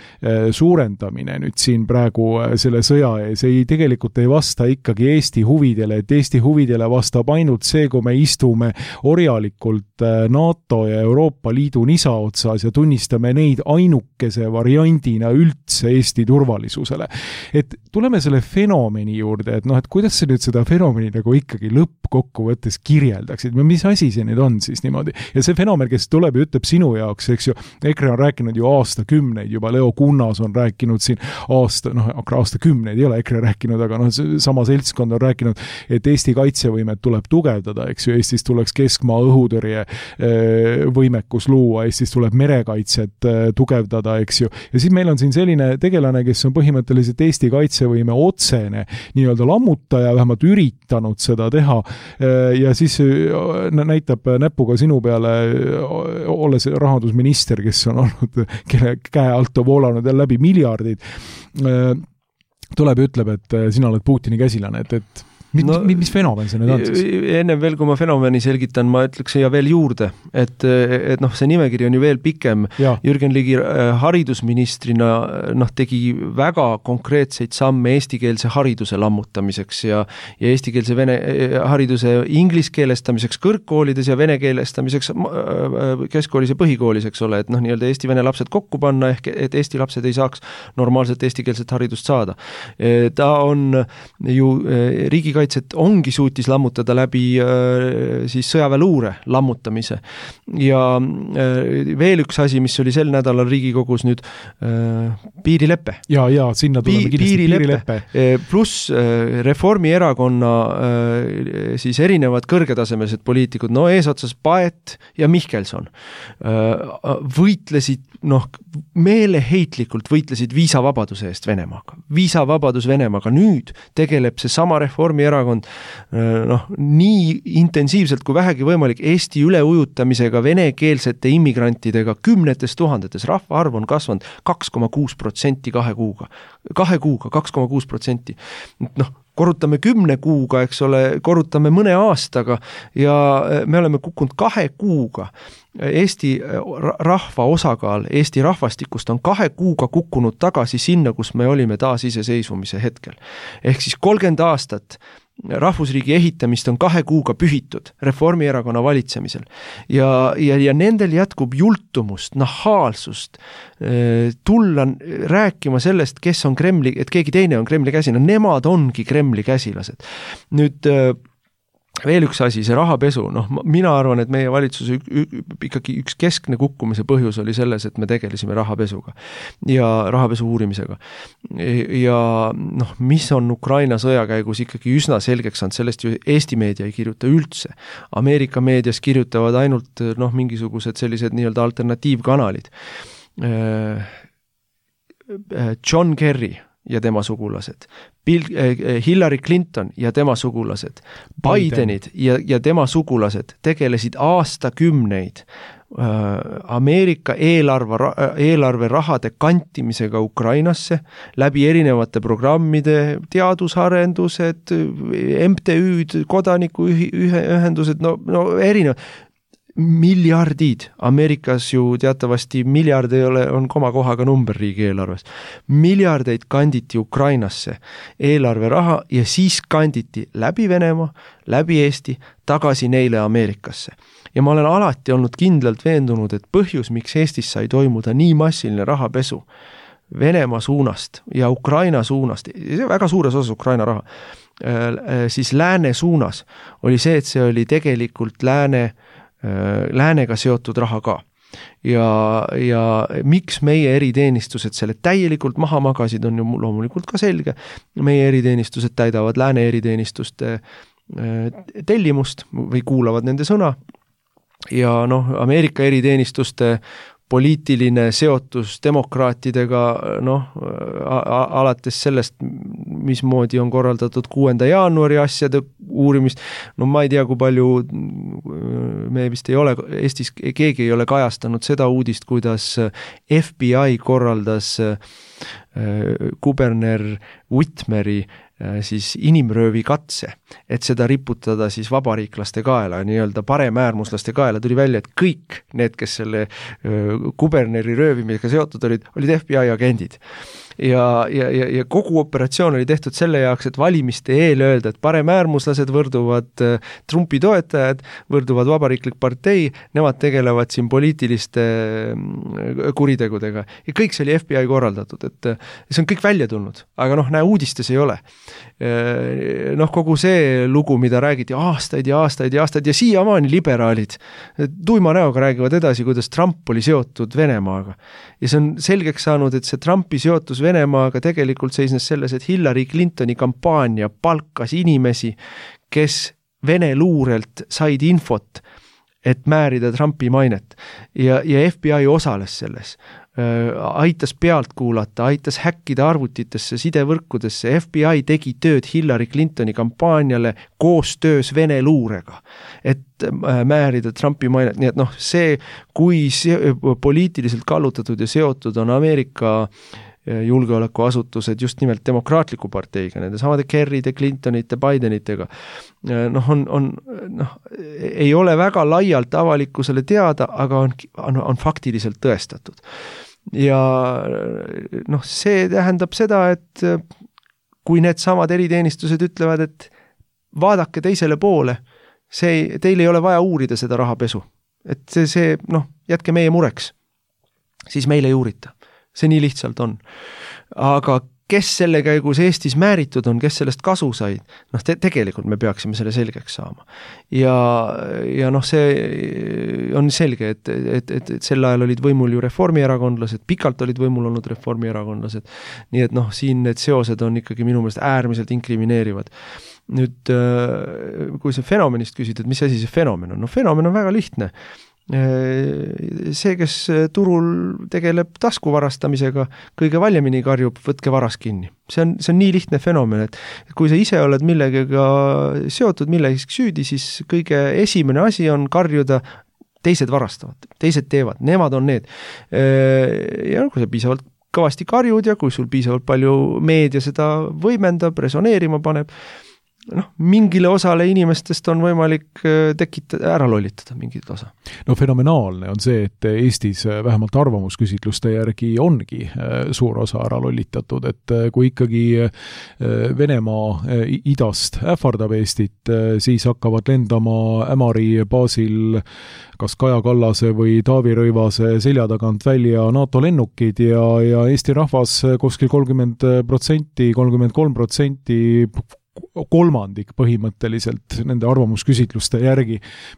suurendamine nüüd siin praegu selle sõja ees ei tegelikult ei vasta ikkagi Eesti huvidele, et Eesti huvidele vastab ainult see, kui me istume orjalikult NATO ja Euroopa Liidu nisa otsas ja tunnistame neid ainukese variandina üldse Eesti turvalisusele. Et tuleme selle fenomeni juurde, et noh, et kuidas see nüüd seda fenomeni nagu ikkagi lõppkokkuvõttes kirjeldaksid, mis asi see nüüd on siis niimoodi. Ja see fenomen, kes tuleb ja ütleb sinu jaoks, eks ju, EKRE on rääkinud ju aastakümneid, juba Leo Kunnas on rääkinud siin aasta, noh, aastakümneid ei ole EKRE rääkinud, aga noh, sama seltskond on rääkinud, et Eesti kaitsevõimet tuleb tugevdada, eks ju, Eestis tuleks keskmaa õhutõrje võimekus luua, Eestis tuleb merekaitset tugevdada, eks ju, ja siis meil on siin selline tegelane, kes on põhimõtteliselt Eesti kaitsevõime otsene nii-öelda lammutaja, vähemalt üritanud seda teha ja siis näitab näpuga sinu peale, olles rahandusminister, kes on olnud, kelle käe alt on voolanud jälle läbi miljardid, tuleb ja ütleb, et sina oled Putini käsilane, et, et mis, no, mis fenomen see nüüd on siis? Enne veel, kui ma fenomeni selgitan, ma ütleks ja veel juurde, et, et noh, see nimekiri on ju veel pikem. Ja. Jürgen Ligi haridusministrina noh, tegi väga konkreetseid samme eestikeelse hariduse lammutamiseks ja, ja eestikeelse vene hariduse ingliskeelestamiseks kõrgkoolides ja venekeelestamiseks keskkoolis ja põhikoolis, eks ole, et noh, nii-öelda eesti-vene lapsed kokku panna, ehk et eesti lapsed ei saaks normaalselt eestikeelset haridust saada. Ta on ju riigikaitse et ongi suutis lammutada läbi siis sõjaväeluure lammutamise. Ja veel üks asi, mis oli sel nädalal Riigikogus nüüd piirileppe. Ja, ja, sinna tuleme Pi- piirileppe. piirileppe. Pluss Reformierakonna siis erinevad kõrgetasemelised poliitikud, no eesotsas Paet ja Mihkelson võitlesid, noh, meeleheitlikult võitlesid viisavabaduse eest Venemaaga. Viisavabadus Venemaaga. Nüüd tegeleb see sama Reformierakond noh, nii intensiivselt kui vähegi võimalik Eesti üleujutamisega venekeelsete immigrantidega kümnetes tuhandetes. Rahvaarv on kasvanud kaks koma kuus protsenti kahe kuuga. Kahe kuuga, kaks koma kuus protsenti. Noh, korrutame kümne kuuga, eks ole, korrutame mõne aastaga ja me oleme kukkunud kahe kuuga. Eesti rahva osakaal Eesti rahvastikust on kahe kuuga kukkunud tagasi sinna, kus me olime taas iseseisvumise hetkel. Ehk siis kolmkümmend aastat rahvusriigi ehitamist on kahe kuuga pühitud Reformierakonna valitsemisel. Ja, ja, ja nendel jätkub jultumust, nahaalsust, tulla rääkima sellest, kes on Kremli, et keegi teine on Kremli käsina. Nemad ongi Kremli käsilased. Nüüd veel üks asi, see rahapesu, noh, mina arvan, et meie valitsuse ikkagi üks keskne kukkumise põhjus oli selles, et me tegelesime rahapesuga ja rahapesu uurimisega. Ja noh, mis on Ukraina sõja käigus ikkagi üsna selgeks saanud, sellest ju Eesti meedia ei kirjuta üldse. Ameerika meedias kirjutavad ainult noh, mingisugused sellised nii-öelda alternatiivkanalid. John Kerry ja tema sugulased, Bill, äh, Hillary Clinton ja tema sugulased, Bidenid ja, ja tema sugulased tegelesid aastakümneid äh, Ameerika eelarve, eelarve rahade kantimisega Ukrainasse läbi erinevate programmide, teadusarendused, M T Ü-d, kodanikuühendused, no, no erinevad. miljardid, Ameerikas ju teatavasti miljard ei ole, on komakohaga number riigieelarves, miljardeid kanditi Ukrainasse eelarveraha ja siis kanditi läbi Venemaa, läbi Eesti, tagasi neile Ameerikasse. Ja ma olen alati olnud kindlalt veendunud, et põhjus, miks Eestis sai toimuda nii massiline rahapesu Venemaa suunast ja Ukraina suunast, väga suures osas Ukraina raha, siis lääne suunas oli see, et see oli tegelikult lääne, läänega seotud raha ka. Ja, ja miks meie eriteenistused selle täielikult maha magasid, on ju loomulikult ka selge. Meie eriteenistused täidavad lääne eriteenistuste tellimust või kuulavad nende sõna. Ja noh, Ameerika eriteenistuste poliitiline seotus demokraatidega, noh, alates sellest, mismoodi on korraldatud kuuenda jaanuari asjade uurimist, no ma ei tea, kui palju, me vist ei ole, Eestis keegi ei ole kajastanud seda uudist, kuidas F B I korraldas kuberner Whitmeri siis inimröövi katse, et seda riputada siis vabariiklaste kaela, nii-öelda paremäärmuslaste kaela, tuli välja, et kõik need, kes selle kuberneri röövimisega seotud olid, olid F B I agendid. Ja, ja, ja, ja kogu operatsioon oli tehtud selle jaoks, et valimiste eel öelda, et paremäärmuslased võrduvad Trumpi toetajad, võrduvad vabariiklik partei, nemad tegelevad siin poliitiliste kuritegudega. Ja kõik see oli F B I korraldatud, et see on kõik välja tulnud, aga noh, näe, uudistes ei ole. Noh, kogu see lugu, mida räägiti aastaid ja aastaid ja aastaid ja siiamaani liberaalid tuima näoga räägivad edasi, kuidas Trump oli seotud Venemaaga. Ja see on selgeks saanud, et see Trumpi seotus Venemaaga tegelikult seisnes selles, et Hillary Clintoni kampaania palkas inimesi, kes Vene luurelt said infot, et määrida Trumpi mainet. Ja, ja F B I osales selles. Aitas pealt kuulata, aitas häkkida arvutitesse, sidevõrkudesse. F B I tegi tööd Hillary Clintoni kampaaniale koostöös Vene luurega, et määrida Trumpi mainet. Nii et noh, see, kui see, poliitiliselt kallutatud ja seotud on Ameerika julgeolekuasutused just nimelt demokraatliku parteiga, nende samade Kerryde, Clintonite, Bidenitega, noh, on, on, noh, ei ole väga laialt avalikkusele teada, aga on, on, on faktiliselt tõestatud. Ja noh, see tähendab seda, et kui need samad eriteenistused ütlevad, et vaadake teisele poole, see, teil ei ole vaja uurida seda rahapesu. Et see, see noh, jätke meie mureks, siis meile ei uurita. See nii lihtsalt on. Aga kes selle käigus Eestis määritud on, kes sellest kasu said, noh te, tegelikult me peaksime selle selgeks saama. Ja, ja noh, see on selge, et, et, et, et sel ajal olid võimul ju reformierakondlased, pikalt olid võimul olnud reformierakondlased, nii et noh, siin need seosed on ikkagi minu meelest äärmiselt inkrimineerivad. Nüüd, kui see fenomenist küsid, et mis asi see fenomen on? No fenomen on väga lihtne. See, kes turul tegeleb tasku varastamisega, kõige valjemini karjub, võtke varas kinni. See on, see on nii lihtne fenomen, et kui sa ise oled millegagi seotud, millegagi süüdi, siis kõige esimene asi on karjuda, teised varastavad, teised teevad, nemad on need. Ja kui sa piisavalt kõvasti karjud ja kui sul piisavalt palju meedia seda võimendab, resoneerima paneb, noh, mingile osale inimestest on võimalik tekitada, ära lollitada mingit osa. No fenomenaalne on see, et Eestis vähemalt arvamusküsitluste järgi ongi suur osa ära lollitatud, et kui ikkagi Venemaa idast ähvardab Eestit, siis hakkavad lendama Ämari baasil kas Kaja Kallase või Taavi Rõivase selja tagant välja NATO lennukid ja, ja Eesti rahvas kuskil kolmkümmend protsenti, kolmkümmend kolm protsenti kolmandik põhimõtteliselt nende arvamusküsitluste järgi,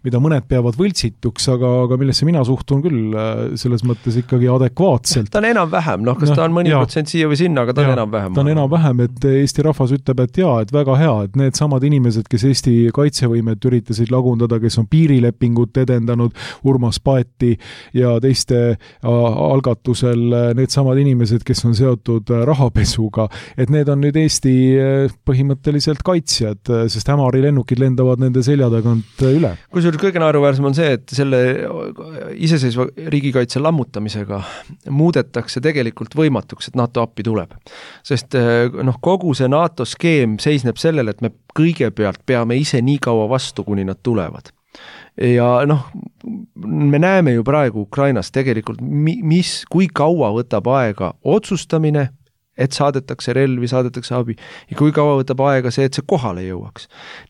mida mõned peavad võltsituks, aga, aga millesse mina suhtun küll selles mõttes ikkagi adekvaatselt. Ta on enam-vähem, noh, kas no, ta on mõni protsent siia või sinna, aga ta on enam-vähem. Ta on enam-vähem, et Eesti rahvas ütleb, et jaa, et väga hea, et need samad inimesed, kes Eesti kaitsevõimet üritasid lagundada, kes on piirilepingut edendanud, Urmas Paeti ja teiste algatusel, need samad inimesed, kes on seotud rahapesuga, et need on nüüd Eesti põhimõtteliselt kaitsjad, sest Ämari lennukid lendavad nende selja tagant üle. Kusjuures kõige naeruväärsem on see, et selle iseseisva riigikaitse lammutamisega muudetakse tegelikult võimatuks, et NATO appi tuleb. Sest noh, kogu see NATO skeem seisneb sellele, et me kõigepealt peame ise nii kaua vastu, kuni nad tulevad. ja noh, me näeme ju praegu Ukrainas tegelikult, mis, kui kaua võtab aega otsustamine, et saadetakse relvi, saadetakse abi ja kui kaua võtab aega see, et see kohale jõuaks.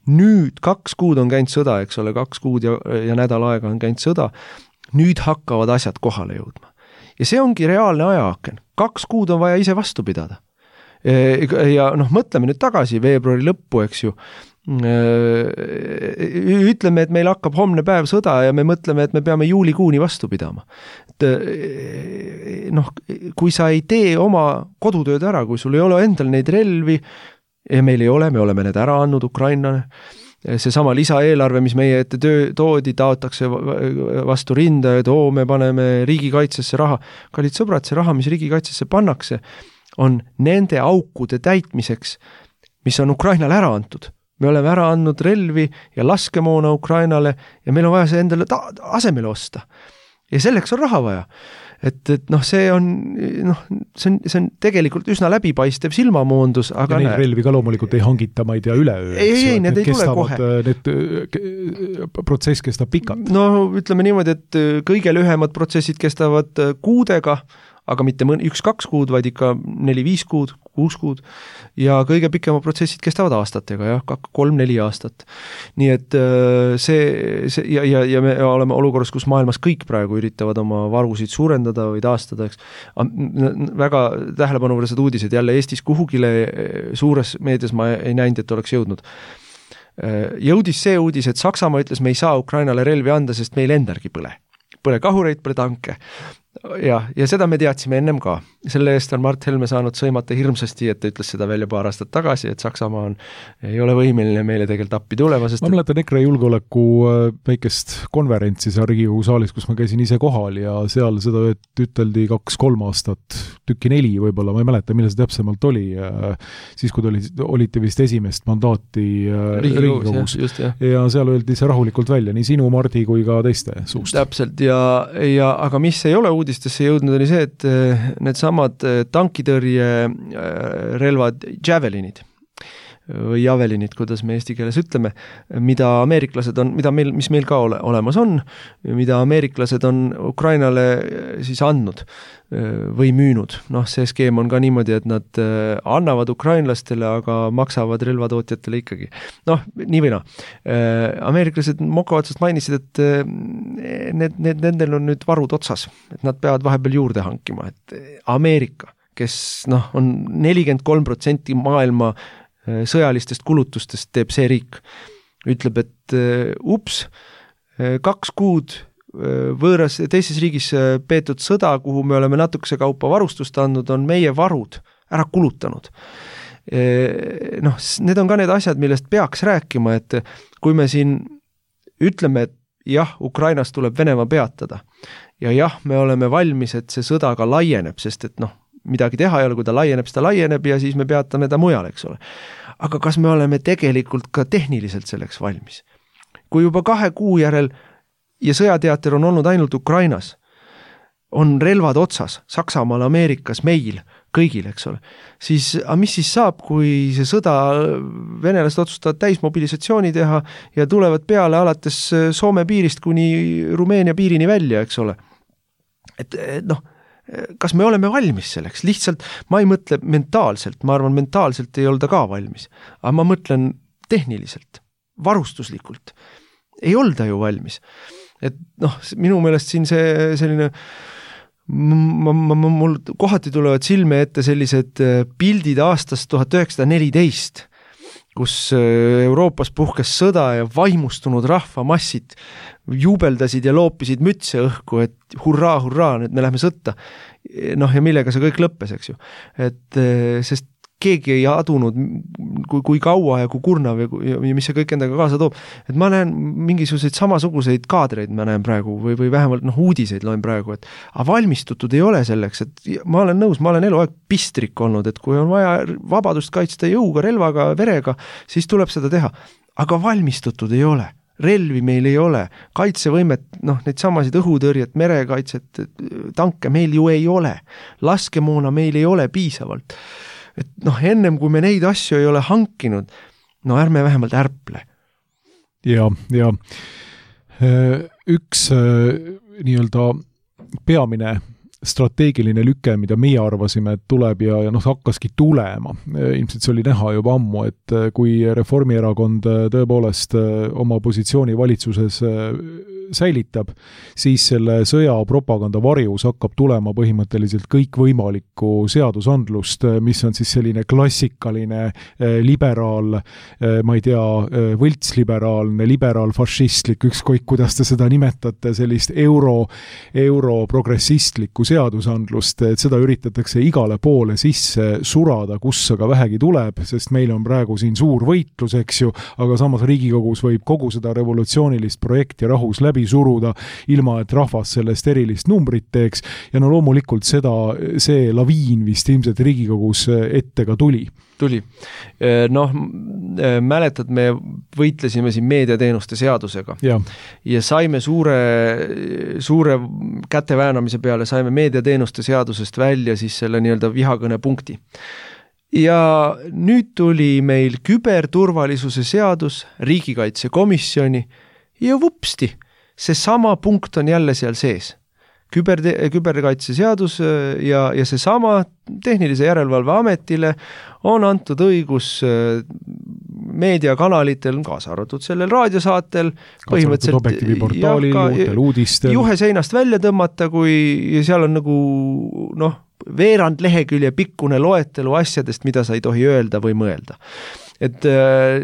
Nüüd kaks kuud on käinud sõda, eks ole, kaks kuud ja, ja nädal aega on käinud sõda, nüüd hakkavad asjad kohale jõudma. Ja see ongi reaalne ajaaken. Kaks kuud on vaja ise vastu pidada. Ja noh, mõtleme nüüd tagasi veebruari lõppu, eks ju, ütleme, et meil hakkab homne päev sõda ja me mõtleme, et me peame juulikuuni vastu pidama. Et noh, kui sa ei tee oma kodutööd ära, kui sul ei ole endal neid relvi ja meil ei ole, me oleme need ära andnud Ukrainale, see sama lisaeelarve, mis meie ette töö, toodi, taotakse vastu rinda, et oo, me paneme riigikaitsesse raha. Kallid sõbrad, see raha, mis riigikaitsesse pannakse, on nende aukude täitmiseks, mis on Ukrainale ära antud. Me oleme ära andnud relvi ja laskemoona Ukrainale ja meil on vaja see endale ta- asemele osta. Ja selleks on raha vaja. Et, et noh, see on, noh, see on, see on tegelikult üsna läbipaistev silmamoondus, aga ja neid relvi ka loomulikult ei hangita, ma ei tea, üleöö. Ei, ei, ei, need ei tule kohe. Need protsess kestab pikalt. No ütleme niimoodi, et kõige lühemad protsessid kestavad kuudega, aga mitte mõn, üks-kaks kuud, vaid ikka neli-viis kuud, kuus kuud, ja kõige pikema protsessid kestavad aastatega, jah, kolm-neli aastat. Nii et see, see ja, ja, ja me oleme olukorras, kus maailmas kõik praegu üritavad oma varusid suurendada või taastada, eks. Väga tähelepanuvõrsed uudised jälle Eestis kuhugile suures meedias ma ei näinud, et oleks jõudnud. Jõudis see uudis, et Saksamaa ütles, me ei saa Ukrainale relvi anda, sest meil endargi põle. Põle kahureid, põle tanke. Ja, ja seda me teadsime ennem ka. Selle eest on Mart Helme saanud sõimata hirmsasti, et ta ütles seda välja paar aastat tagasi, et Saksamaa on, ei ole võimeline meile tegelikult appi tulema. Sest ma mäletan EKRE julgeoleku väikest konverentsi seal Riigikogu saalis, kus ma käisin ise kohal ja seal seda üteldi kaks-kolm aastat, tükki neli võib-olla, ma ei mäleta, mille see täpsemalt oli, siis kui oli, olite vist esimest mandaati Riigikogus. Just, jah. Ja seal öeldi see rahulikult välja, nii sinu, Mardi kui ka teiste suust. Täpselt, ja, ja aga mis ei ole uudistesse jõudnud, oli see, et need samad tankitõrje relvad, javelinid või javelinid, kuidas me eesti keeles ütleme, mida ameeriklased on, mida meil, mis meil ka ole, olemas on, mida ameeriklased on Ukrainale siis andnud või müünud. Noh, see skeem on ka niimoodi, et nad annavad ukrainlastele, aga maksavad relvatootjatele ikkagi. Noh, nii või no. Ameeriklased moka otsast mainisid, et need, need, nendel on nüüd varud otsas, et nad peavad vahepeal juurde hankima. Et Ameerika, kes noh, on nelikümmend kolm protsenti maailma sõjalistest kulutustest teeb see riik. Ütleb, et ups, kaks kuud võõras teises riigis peetud sõda, kuhu me oleme natukese kaupa varustust andnud, on meie varud ära kulutanud. Noh, need on ka need asjad, millest peaks rääkima, et kui me siin ütleme, et jah, Ukrainas tuleb Venemaa peatada ja jah, me oleme valmis, et see sõda ka laieneb, sest et noh, midagi teha ei ole, kui ta laieneb, seda laieneb ja siis me peatame ta mujal, eks ole. Aga kas me oleme tegelikult ka tehniliselt selleks valmis? Kui juba kahe kuu järel ja sõjateater on olnud ainult Ukrainas, on relvad otsas, Saksamaal, Ameerikas, meil, kõigil, eks ole, siis, aga mis siis saab, kui see sõda venelased otsustavad täismobilisatsiooni teha ja tulevad peale alates Soome piirist kuni Rumeenia piirini välja, eks ole. Et, et noh, kas me oleme valmis selleks? Lihtsalt ma ei mõtle mentaalselt, ma arvan, mentaalselt ei olda ka valmis, aga ma mõtlen tehniliselt, varustuslikult. Ei olda ju valmis. Et noh, minu meelest siin see selline, ma, ma, ma, mul kohati tulevad silme ette sellised pildid aastast tuhat üheksasada neliteist, kus Euroopas puhkes sõda ja vaimustunud rahvamassid jubeldasid ja loopisid mütse õhku, et hurraa, hurraa, nüüd me lähme sõtta. Noh, ja millega see kõik lõppes, eks ju. Et sest keegi ei adunud, kui, kui kaua ja kui kurnav ja, ja mis see kõik endaga kaasa toob. Et ma näen mingisuguseid samasuguseid kaadreid, ma näen praegu, või, või vähemalt noh, uudiseid loen praegu, et aga valmistutud ei ole selleks, et ma olen nõus, ma olen eluaeg pistrik olnud, et kui on vaja vabadust kaitsta jõuga, relvaga, verega, siis tuleb seda teha. Aga valmistutud ei ole. Relvi meil ei ole, kaitsevõimet, noh, neid samasid õhutõrjet, merekaitset, tanke meil ju ei ole. Laskemoona meil ei ole piisavalt. Et noh, ennem kui me neid asju ei ole hankinud, no ärme vähemalt ärple. Ja, ja Üks nii-öelda peamine strateegiline lüke, mida meie arvasime, et tuleb ja, ja noh, hakkaski tulema. Ilmselt see oli näha juba ammu, et kui Reformierakond tõepoolest oma positsiooni valitsuses säilitab, siis selle sõja propaganda varjus hakkab tulema põhimõtteliselt kõik võimalikku seadusandlust, mis on siis selline klassikaline liberaal, ma ei tea, võltsliberaalne, liberaalfašistlik, ükskõik kuidas te seda nimetate, sellist euro, europrogressistlikku seadusandlust, et seda üritatakse igale poole sisse surada, kus aga vähegi tuleb, sest meil on praegu siin suur võitlus, eks ju, aga samas Riigikogus võib kogu seda revolutsioonilist projekti rahus läbi suruda, ilma et rahvas sellest erilist numbrit teeks, ja no loomulikult seda, see laviin vist ilmselt Riigikogus ette ka tuli. Tuli. Noh, mäletad, me võitlesime siin meediateenuste seadusega ja, ja saime suure, suure käteväänamise peale, saime meediateenuste seadusest välja siis selle nii-öelda vihakõne punkti. Ja nüüd tuli meil küberturvalisuse seadus riigikaitsekomisjoni ja vupsti, see sama punkt on jälle seal sees. Küber, küberkaitse seadus ja, ja see sama tehnilise järelevalve ametile on antud õigus meediakanalitel, kaasa arvatud sellel raadiosaatel, põhimõtteliselt juhe seinast välja tõmmata, kui seal on nagu noh, veerand lehekülje pikkune loetelu asjadest, mida sa ei tohi öelda või mõelda. Et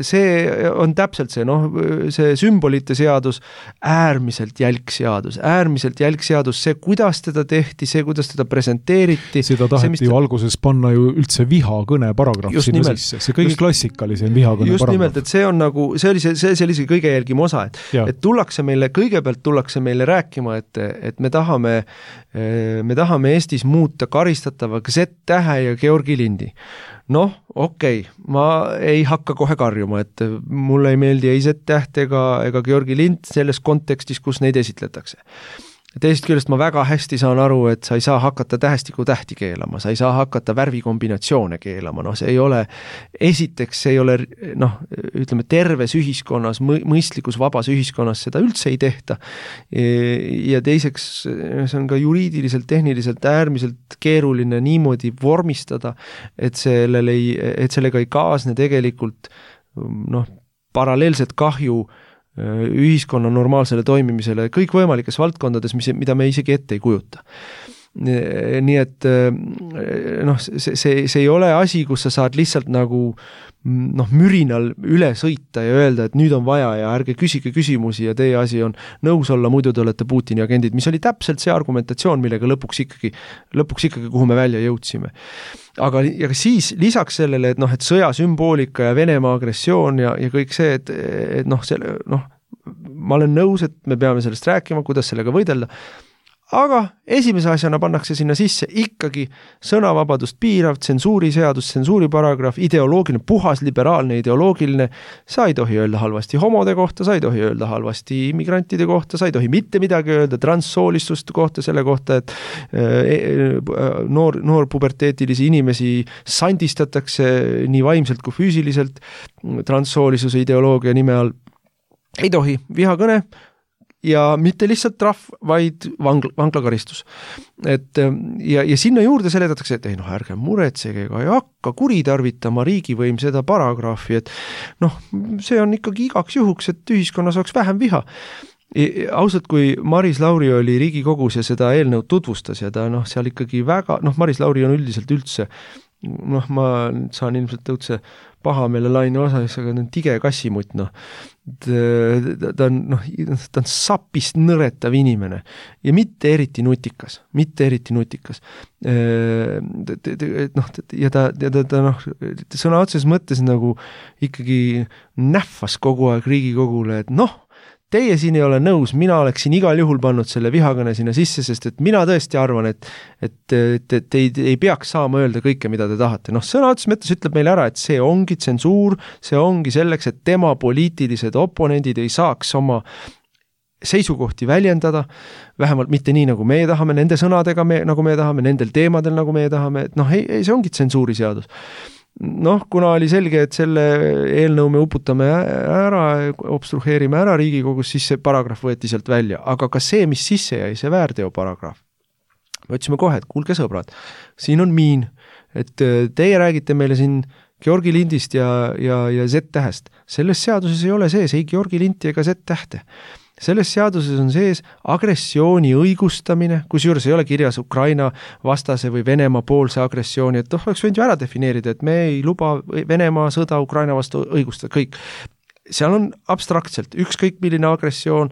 see on täpselt see, noh, see sümbolite seadus, äärmiselt jälg seadus, äärmiselt jälg seadus, see, kuidas teda tehti, see, kuidas teda presenteeriti. Seda taheti see, ju alguses panna ju üldse vihakõne paragrahv sinna nimelt, sisse. See kõige just, klassikalisem vihakõne just paragrahv. Just nimelt, et see on nagu, see oli see, see, see oli see kõige jälgim osa, et, et tullakse meile, kõigepealt tullakse meile rääkima, et, et me tahame, me tahame Eestis muuta karistatava Z-tähe ja Georgi lindi. Noh, okei, okay. Ma ei hakka kohe karjuma, et mulle ei meeldi ei Z-täht ega, ega Georgi lind selles kontekstis, kus neid esitletakse. Teisest küljest ma väga hästi saan aru, et sa ei saa hakata tähestiku tähti keelama, sa ei saa hakata värvikombinatsioone keelama, noh see ei ole, esiteks see ei ole, noh, ütleme terves ühiskonnas, mõistlikus vabas ühiskonnas seda üldse ei tehta ja teiseks see on ka juriidiliselt, tehniliselt äärmiselt keeruline niimoodi vormistada, et, ei, et sellega ei kaasne tegelikult noh, paralleelset kahju ühiskonna normaalsele toimimisele kõik võimalikes valdkondades, mis, mida me isegi ette ei kujuta. Nii et noh, see, see, see ei ole asi, kus sa saad lihtsalt nagu noh, mürinal üle sõita ja öelda, et nüüd on vaja ja ärge küsige küsimusi ja teie asi on nõus olla, muidu te olete Putini agendid, mis oli täpselt see argumentatsioon, millega lõpuks ikkagi, lõpuks ikkagi kuhu me välja jõudsime. Aga ja siis lisaks sellele, et noh, et sõjasümboolika ja Venemaa agressioon ja, ja kõik see, et, et noh, selle, noh, ma olen nõus, et me peame sellest rääkima, kuidas sellega võidelda, aga esimese asjana pannakse sinna sisse ikkagi sõnavabadust piirav, tsensuuriseadus, tsensuuriparagrahv, ideoloogiline, puhas liberaalne ideoloogiline, sa ei tohi öelda halvasti homode kohta, sa ei tohi öelda halvasti immigrantide kohta, sa ei tohi mitte midagi öelda transsoolistuste kohta, selle kohta, et noor, noor puberteetilisi inimesi sandistatakse nii vaimselt kui füüsiliselt transsoolisuse ideoloogia nime all. Ei tohi, vihakõne ja mitte lihtsalt trahv, vaid vangla, vanglakaristus. Et, ja, ja sinna juurde seletatakse, et ei noh, ärge muretsege ega ei hakka kuritarvitama riigivõim seda paragrahvi, et noh, see on ikkagi igaks juhuks, et ühiskonnas oleks vähem viha. Ausalt, kui Maris Lauri oli Riigikogus ja seda eelnõu tutvustas ja ta noh, seal ikkagi väga, noh, Maris Lauri on üldiselt üldse, noh, ma saan ilmselt õudse pahameele laine osas, aga ta on tige kassimutt, noh. Ta, ta on, noh, ta on sapist nõretav inimene ja mitte eriti nutikas, mitte eriti nutikas. Noh, ja ta, ja ta, ta noh, sõna otses mõttes nagu ikkagi nähvas kogu aeg Riigikogule, et noh, teie siin ei ole nõus, mina oleksin igal juhul pannud selle vihakõne sinna sisse, sest et mina tõesti arvan, et, et, et, et ei, ei peaks saama öelda kõike, mida te tahate. Noh, sõna otses mõttes ütleb meile ära, et see ongi tsensuur, see ongi selleks, et tema poliitilised oponendid ei saaks oma seisukohti väljendada, vähemalt mitte nii, nagu meie tahame, nende sõnadega, me, nagu meie tahame, nendel teemadel, nagu meie tahame, et noh, ei, ei, see ongi tsensuuriseadus. noh, kuna oli selge, et selle eelnõu me uputame ära, obstruheerime ära Riigikogus, siis see paragrahv võeti sealt välja. Aga ka see, mis sisse jäi, see väärteo paragrahv. Me otsime kohe, et kuulge sõbrad, siin on miin, et teie räägite meile siin Georgi lindist ja, ja, ja Z-tähest. Selles seaduses ei ole sees ei Georgi linti ega Z-tähte. Selles seaduses on sees agressiooni õigustamine, kusjuures ei ole kirjas Ukraina vastase või Venemaa poolse agressiooni, et noh, oleks võinud ju ära defineerida, et me ei luba Venemaa sõda Ukraina vastu õigustada, kõik. Seal on abstraktselt ükskõik milline agressioon,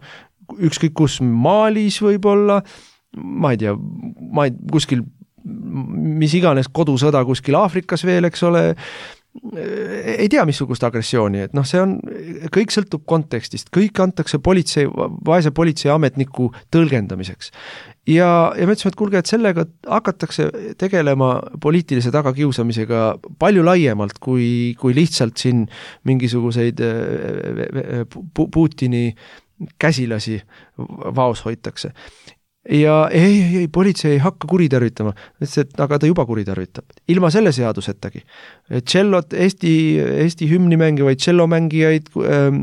ükskõik kus Malis võib-olla, ma ei tea, ma ei, kuskil, mis iganes kodusõda kuskil Aafrikas veel, eks ole, ei tea missugust agressiooni, et noh, see on, kõik sõltub kontekstist, kõik antakse politsei, vaese politseiametniku tõlgendamiseks. Ja, ja me ütlesime, et kuulge, et sellega hakatakse tegelema poliitilise tagakiusamisega palju laiemalt, kui, kui lihtsalt siin mingisuguseid Putini käsilasi vaos hoitakse. Ja ei, ei, ei, politsei ei hakka kuritarvitama, et aga ta juba kuritarvitab. Ilma selle seadusettagi. Tšellot, Eesti, Eesti hümni mängivaid tšellomängijaid äh,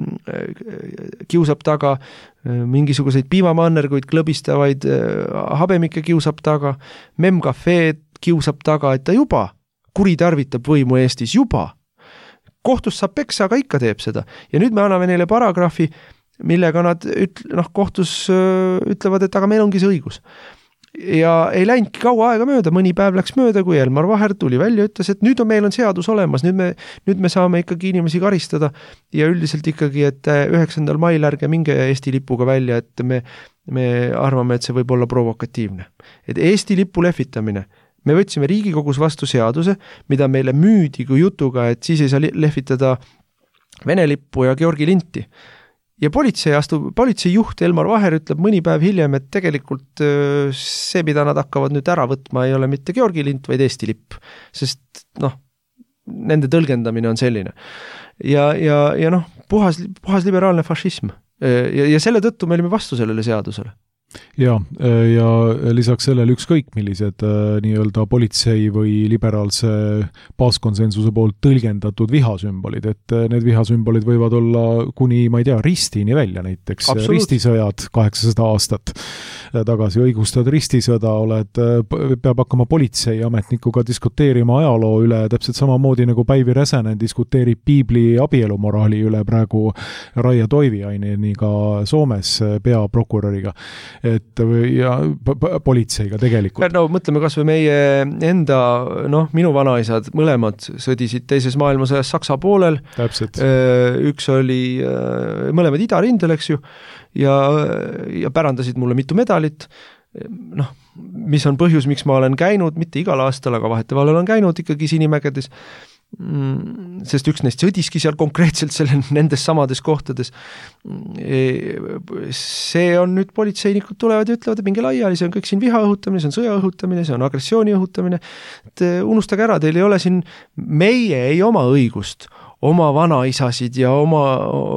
kiusab taga, äh, mingisuguseid piimamannerguid klõbistavaid äh, habemikke kiusab taga, memcafeed kiusab taga, et ta juba kuritarvitab võimu Eestis, juba. Kohtus saab peksa, aga ikka teeb seda. Ja nüüd me anname neile paragrahvi, millega nad üt, noh, kohtus öö, ütlevad, et aga meil ongi see õigus. Ja ei läinudki kaua aega mööda, mõni päev läks mööda, kui Elmar Vaher tuli välja, ütles, et nüüd on meil on seadus olemas, nüüd me, nüüd me saame ikkagi inimesi karistada ja üldiselt ikkagi, et üheksandal mail ärge minge Eesti lipuga välja, et me, me arvame, et see võib olla provokatiivne. Et Eesti lipu lehvitamine, me võtsime Riigikogus vastu seaduse, mida meile müüdi kui jutuga, et siis ei saa lehvitada Vene lippu ja Georgi linti. Ja politsei astub, politsei juht Elmar Vaher ütleb mõni päev hiljem, et tegelikult see, mida nad hakkavad nüüd ära võtma, ei ole mitte Georgi lint, vaid Eesti lipp. Sest noh, nende tõlgendamine on selline. Ja, ja, ja noh, puhas, puhas liberaalne fašism. Ja, ja selle tõttu me olime vastu sellele seadusele. Ja, ja lisaks sellele ükskõik millised nii-öelda politsei või liberaalse baaskonsensuse poolt tõlgendatud vihasümbolid, et need vihasümbolid võivad olla kuni, ma ei tea, ristini välja näiteks. Absoluut. Ristisõjad kaheksasada aastat tagasi õigustad ristisõda, oled, peab hakkama politseiametnikuga diskuteerima ajaloo üle, täpselt samamoodi nagu Päivi Räsänen diskuteerib piibli abielumoraali üle praegu Raija Toiviaineniga Soomes peaprokuröriga. Et ja politseiga tegelikult. No mõtleme kas või meie enda, noh, minu vanaisad mõlemad sõdisid teises maailmasõjas Saksa poolel. Täpselt. Üks oli mõlemad idarindel, eks ju, ja, ja pärandasid mulle mitu medalit. Noh, mis on põhjus, miks ma olen käinud, mitte igal aastal, aga vahetevahel olen käinud ikkagi Sinimägedes, sest üks neist sõdiski seal konkreetselt selle, nendes samades kohtades. See on nüüd politseinikud tulevad ja ütlevad, et minge laiali, see on kõik siin viha õhutamine, see on sõja õhutamine, see on agressiooni õhutamine. Et unustage ära, teil ei ole siin, meie ei oma õigust oma vanaisasid ja oma,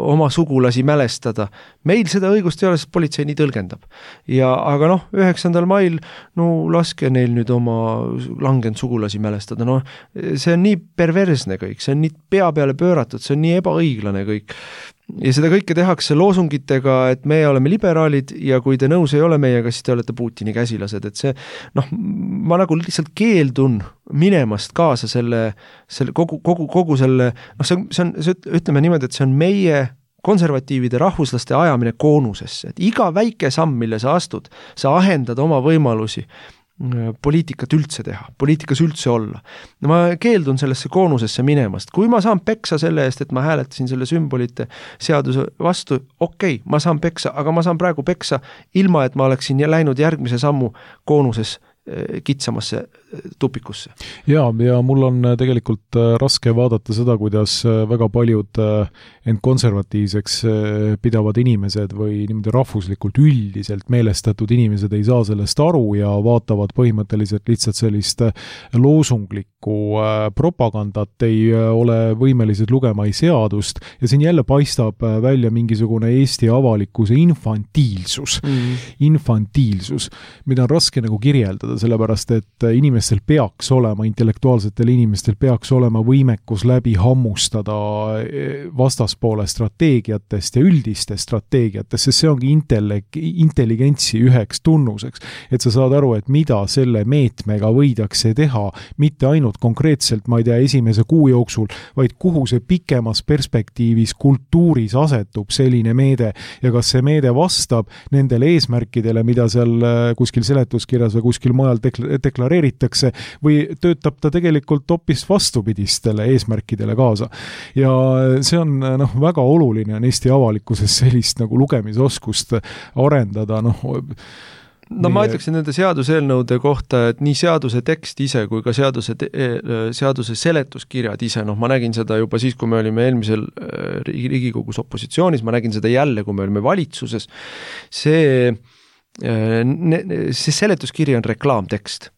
oma sugulasi mälestada. Meil seda õigust ei ole, sest politsei nii tõlgendab. Ja, aga noh, üheksandal mail, no laske neil nüüd oma langenud sugulasi mälestada. No, see on nii perversne kõik, see on nii pea peale pööratud, see on nii ebaõiglane kõik. Ja seda kõike tehakse loosungitega, et meie oleme liberaalid ja kui te nõus ei ole meiega, siis te olete Putini käsilased, et see, noh, ma nagu lihtsalt keeldun minemast kaasa selle, selle kogu, kogu, kogu selle, noh, see on, see on, see, ütleme niimoodi, et see on meie konservatiivide rahvuslaste ajamine koonusesse, et iga väike samm, mille sa astud, sa ahendad oma võimalusi poliitikat üldse teha, poliitikas üldse olla. Ma keeldun sellesse koonusesse minemast. Kui ma saan peksa selle eest, et ma hääletasin selle sümbolite seaduse vastu, okei, okay, ma saan peksa, aga ma saan praegu peksa ilma, et ma oleksin läinud järgmise sammu koonuses kitsamasse tupikusse. Ja, ja mul on tegelikult raske vaadata seda, kuidas väga paljud end konservatiivseks pidavad inimesed või niimoodi rahvuslikult üldiselt meelestatud inimesed ei saa sellest aru ja vaatavad põhimõtteliselt lihtsalt sellist loosunglikku propagandat, ei ole võimelised lugema ei seadust ja siin jälle paistab välja mingisugune Eesti avalikkuse infantiilsus. Mm. Infantiilsus, mida on raske nagu kirjeldada. arendada, sellepärast et inimestel peaks olema, intellektuaalsetel inimestel peaks olema võimekus läbi hammustada vastaspoole strateegiatest ja üldistest strateegiatest, sest see ongi intellek, intelligentsi üheks tunnuseks, et sa saad aru, et mida selle meetmega võidakse teha, mitte ainult konkreetselt, ma ei tea, esimese kuu jooksul, vaid kuhu see pikemas perspektiivis kultuuris asetub selline meede ja kas see meede vastab nendele eesmärkidele, mida seal kuskil seletuskirjas või kuskil mujal deklareeritakse või töötab ta tegelikult hoopis vastupidistele eesmärkidele kaasa. Ja see on noh, väga oluline on Eesti avalikkuses sellist nagu lugemisoskust arendada, noh No ma ütleksin nende seaduseelnõude kohta, et nii seaduse tekst ise kui ka seaduse, seaduse seletuskirjad ise, noh ma nägin seda juba siis, kui me olime eelmisel Riigikogus opositsioonis, ma nägin seda jälle, kui me olime valitsuses, see, see seletuskiri on reklaamtekst.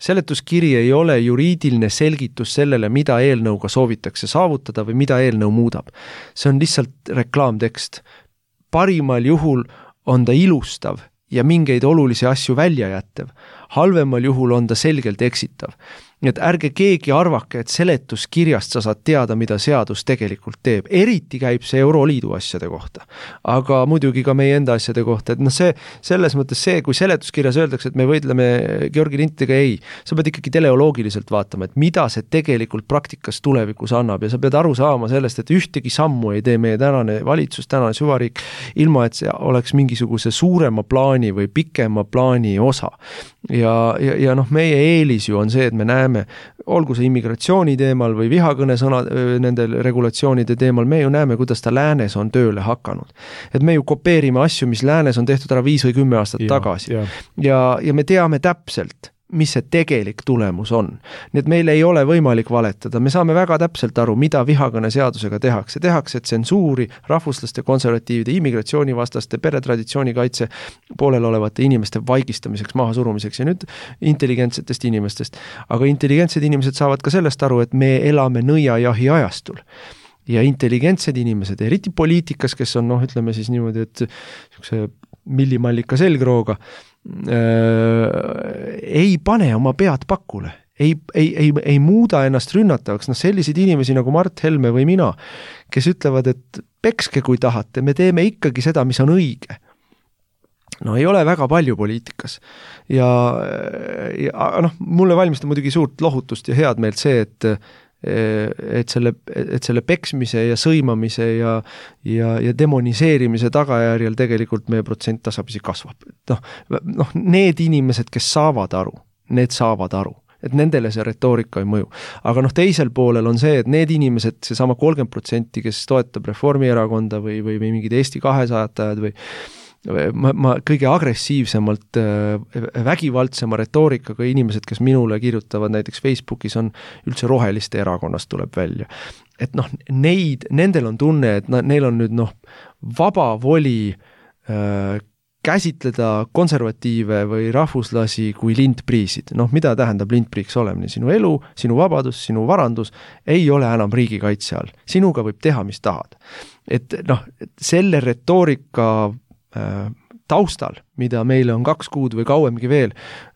Seletuskiri ei ole juriidiline selgitus sellele, mida eelnõuga soovitakse saavutada või mida eelnõu muudab. See on lihtsalt reklaamtekst. Parimal juhul on ta ilustav ja mingeid olulisi asju välja jättev. Halvemal juhul on ta selgelt eksitav. Nii et ärge keegi arvake, et seletuskirjast sa saad teada, mida seadus tegelikult teeb. Eriti käib see Euroliidu asjade kohta. Aga muidugi ka meie enda asjade kohta. Et noh, see, selles mõttes see, kui seletuskirjas öeldakse, et me võidleme Georgi Lintidega, ei. Sa pead ikkagi teleoloogiliselt vaatama, et mida see tegelikult praktikas tulevikus annab ja sa pead aru saama sellest, et ühtegi sammu ei tee meie tänane valitsus, tänane süvariik, ilma et see oleks mingisuguse suurema plaani või pikema plaani osa. Ja, ja, ja noh, meie eelis ju on see, et me näeme olgu see immigratsiooni teemal või vihakõne sõna, nendel regulatsioonide teemal, me ju näeme, kuidas ta läänes on tööle hakanud. Et me ju kopeerime asju, mis läänes on tehtud ära viis või kümme aastat ja, tagasi. Ja. Ja, ja me teame täpselt, mis see tegelik tulemus on. Nii et meil ei ole võimalik valetada. Me saame väga täpselt aru, mida vihakõne seadusega tehakse. Tehakse tsensuuri rahvuslaste, konservatiivide, immigratsioonivastaste, peretraditsioonikaitse poolel olevate inimeste vaigistamiseks, mahasurumiseks ja nüüd intelligentsetest inimestest. Aga intelligentsed inimesed saavad ka sellest aru, et me elame nõiajahi ajastul. Ja intelligentsed inimesed, eriti poliitikas, kes on, noh, ütleme siis niimoodi, et niisuguse millimallika selgrooga, Äh, ei pane oma pead pakule, ei, ei, ei, ei muuda ennast rünnatavaks, noh selliseid inimesi nagu Mart Helme või mina, kes ütlevad, et pekske kui tahate, me teeme ikkagi seda, mis on õige. No ei ole väga palju poliitikas ja, ja noh, mulle valmistab muidugi suurt lohutust ja head meelt see, et et selle, et selle peksmise ja sõimamise ja, ja, ja demoniseerimise tagajärjel tegelikult meie protsent tasapisi kasvab. Noh, noh, need inimesed, kes saavad aru, need saavad aru, et nendele see retoorika ei mõju. Aga noh, teisel poolel on see, et need inimesed, see sama kolmkümmend protsenti, kes toetab Reformierakonda või, või, või mingid Eesti kahesajatajad või Ma, ma kõige agressiivsemalt vägivaldsema retoorikaga inimesed, kes minule kirjutavad näiteks Facebookis, on üldse roheliste erakonnast tuleb välja. Et noh, neid, nendel on tunne, et neil on nüüd noh, vaba voli äh, käsitleda konservatiive või rahvuslasi kui lintpriisid. Noh, mida tähendab lintpriiks olemine? Sinu elu, sinu vabadus, sinu varandus ei ole enam riigikaitse all. Sinuga võib teha, mis tahad. Et noh, selle retoorika taustal, mida meile on kaks kuud või kauemgi veel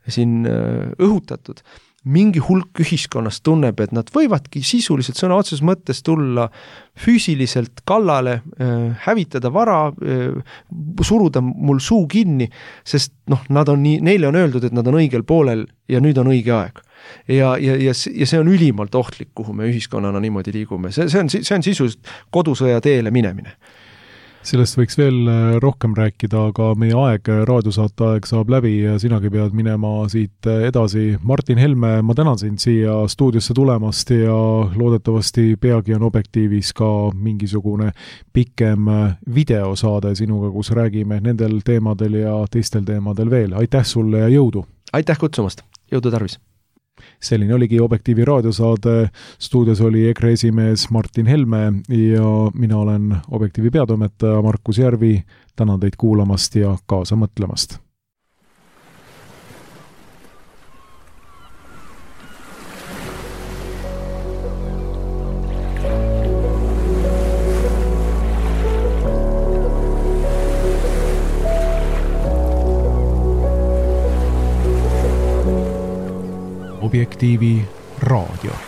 siin õhutatud, mingi hulk ühiskonnast tunneb, et nad võivadki sisuliselt sõna otseses mõttes tulla füüsiliselt kallale, hävitada vara, suruda mul suu kinni, sest noh, nad on nii, neile on öeldud, et nad on õigel poolel ja nüüd on õige aeg. Ja, ja, ja, ja see on ülimalt ohtlik, kuhu me ühiskonnana niimoodi liigume. See, see on, see on sisuliselt kodusõja teele minemine. Sellest võiks veel rohkem rääkida, aga meie aeg, raadiosaate aeg saab läbi ja sinagi pead minema siit edasi. Martin Helme, ma tänan sind siia stuudiosse tulemast ja loodetavasti peagi on Objektiivis ka mingisugune pikem videosaade sinuga, kus räägime nendel teemadel ja teistel teemadel veel. Aitäh sulle ja jõudu! Aitäh kutsumast! Jõudu tarvis! Selline oligi Objektiivi raadiosaade, stuudios oli E K R esimees Martin Helme ja mina olen Objektiivi peatoimetaja Markus Järvi, tänan teid kuulamast ja kaasa mõtlemast. Objektiivi raadio.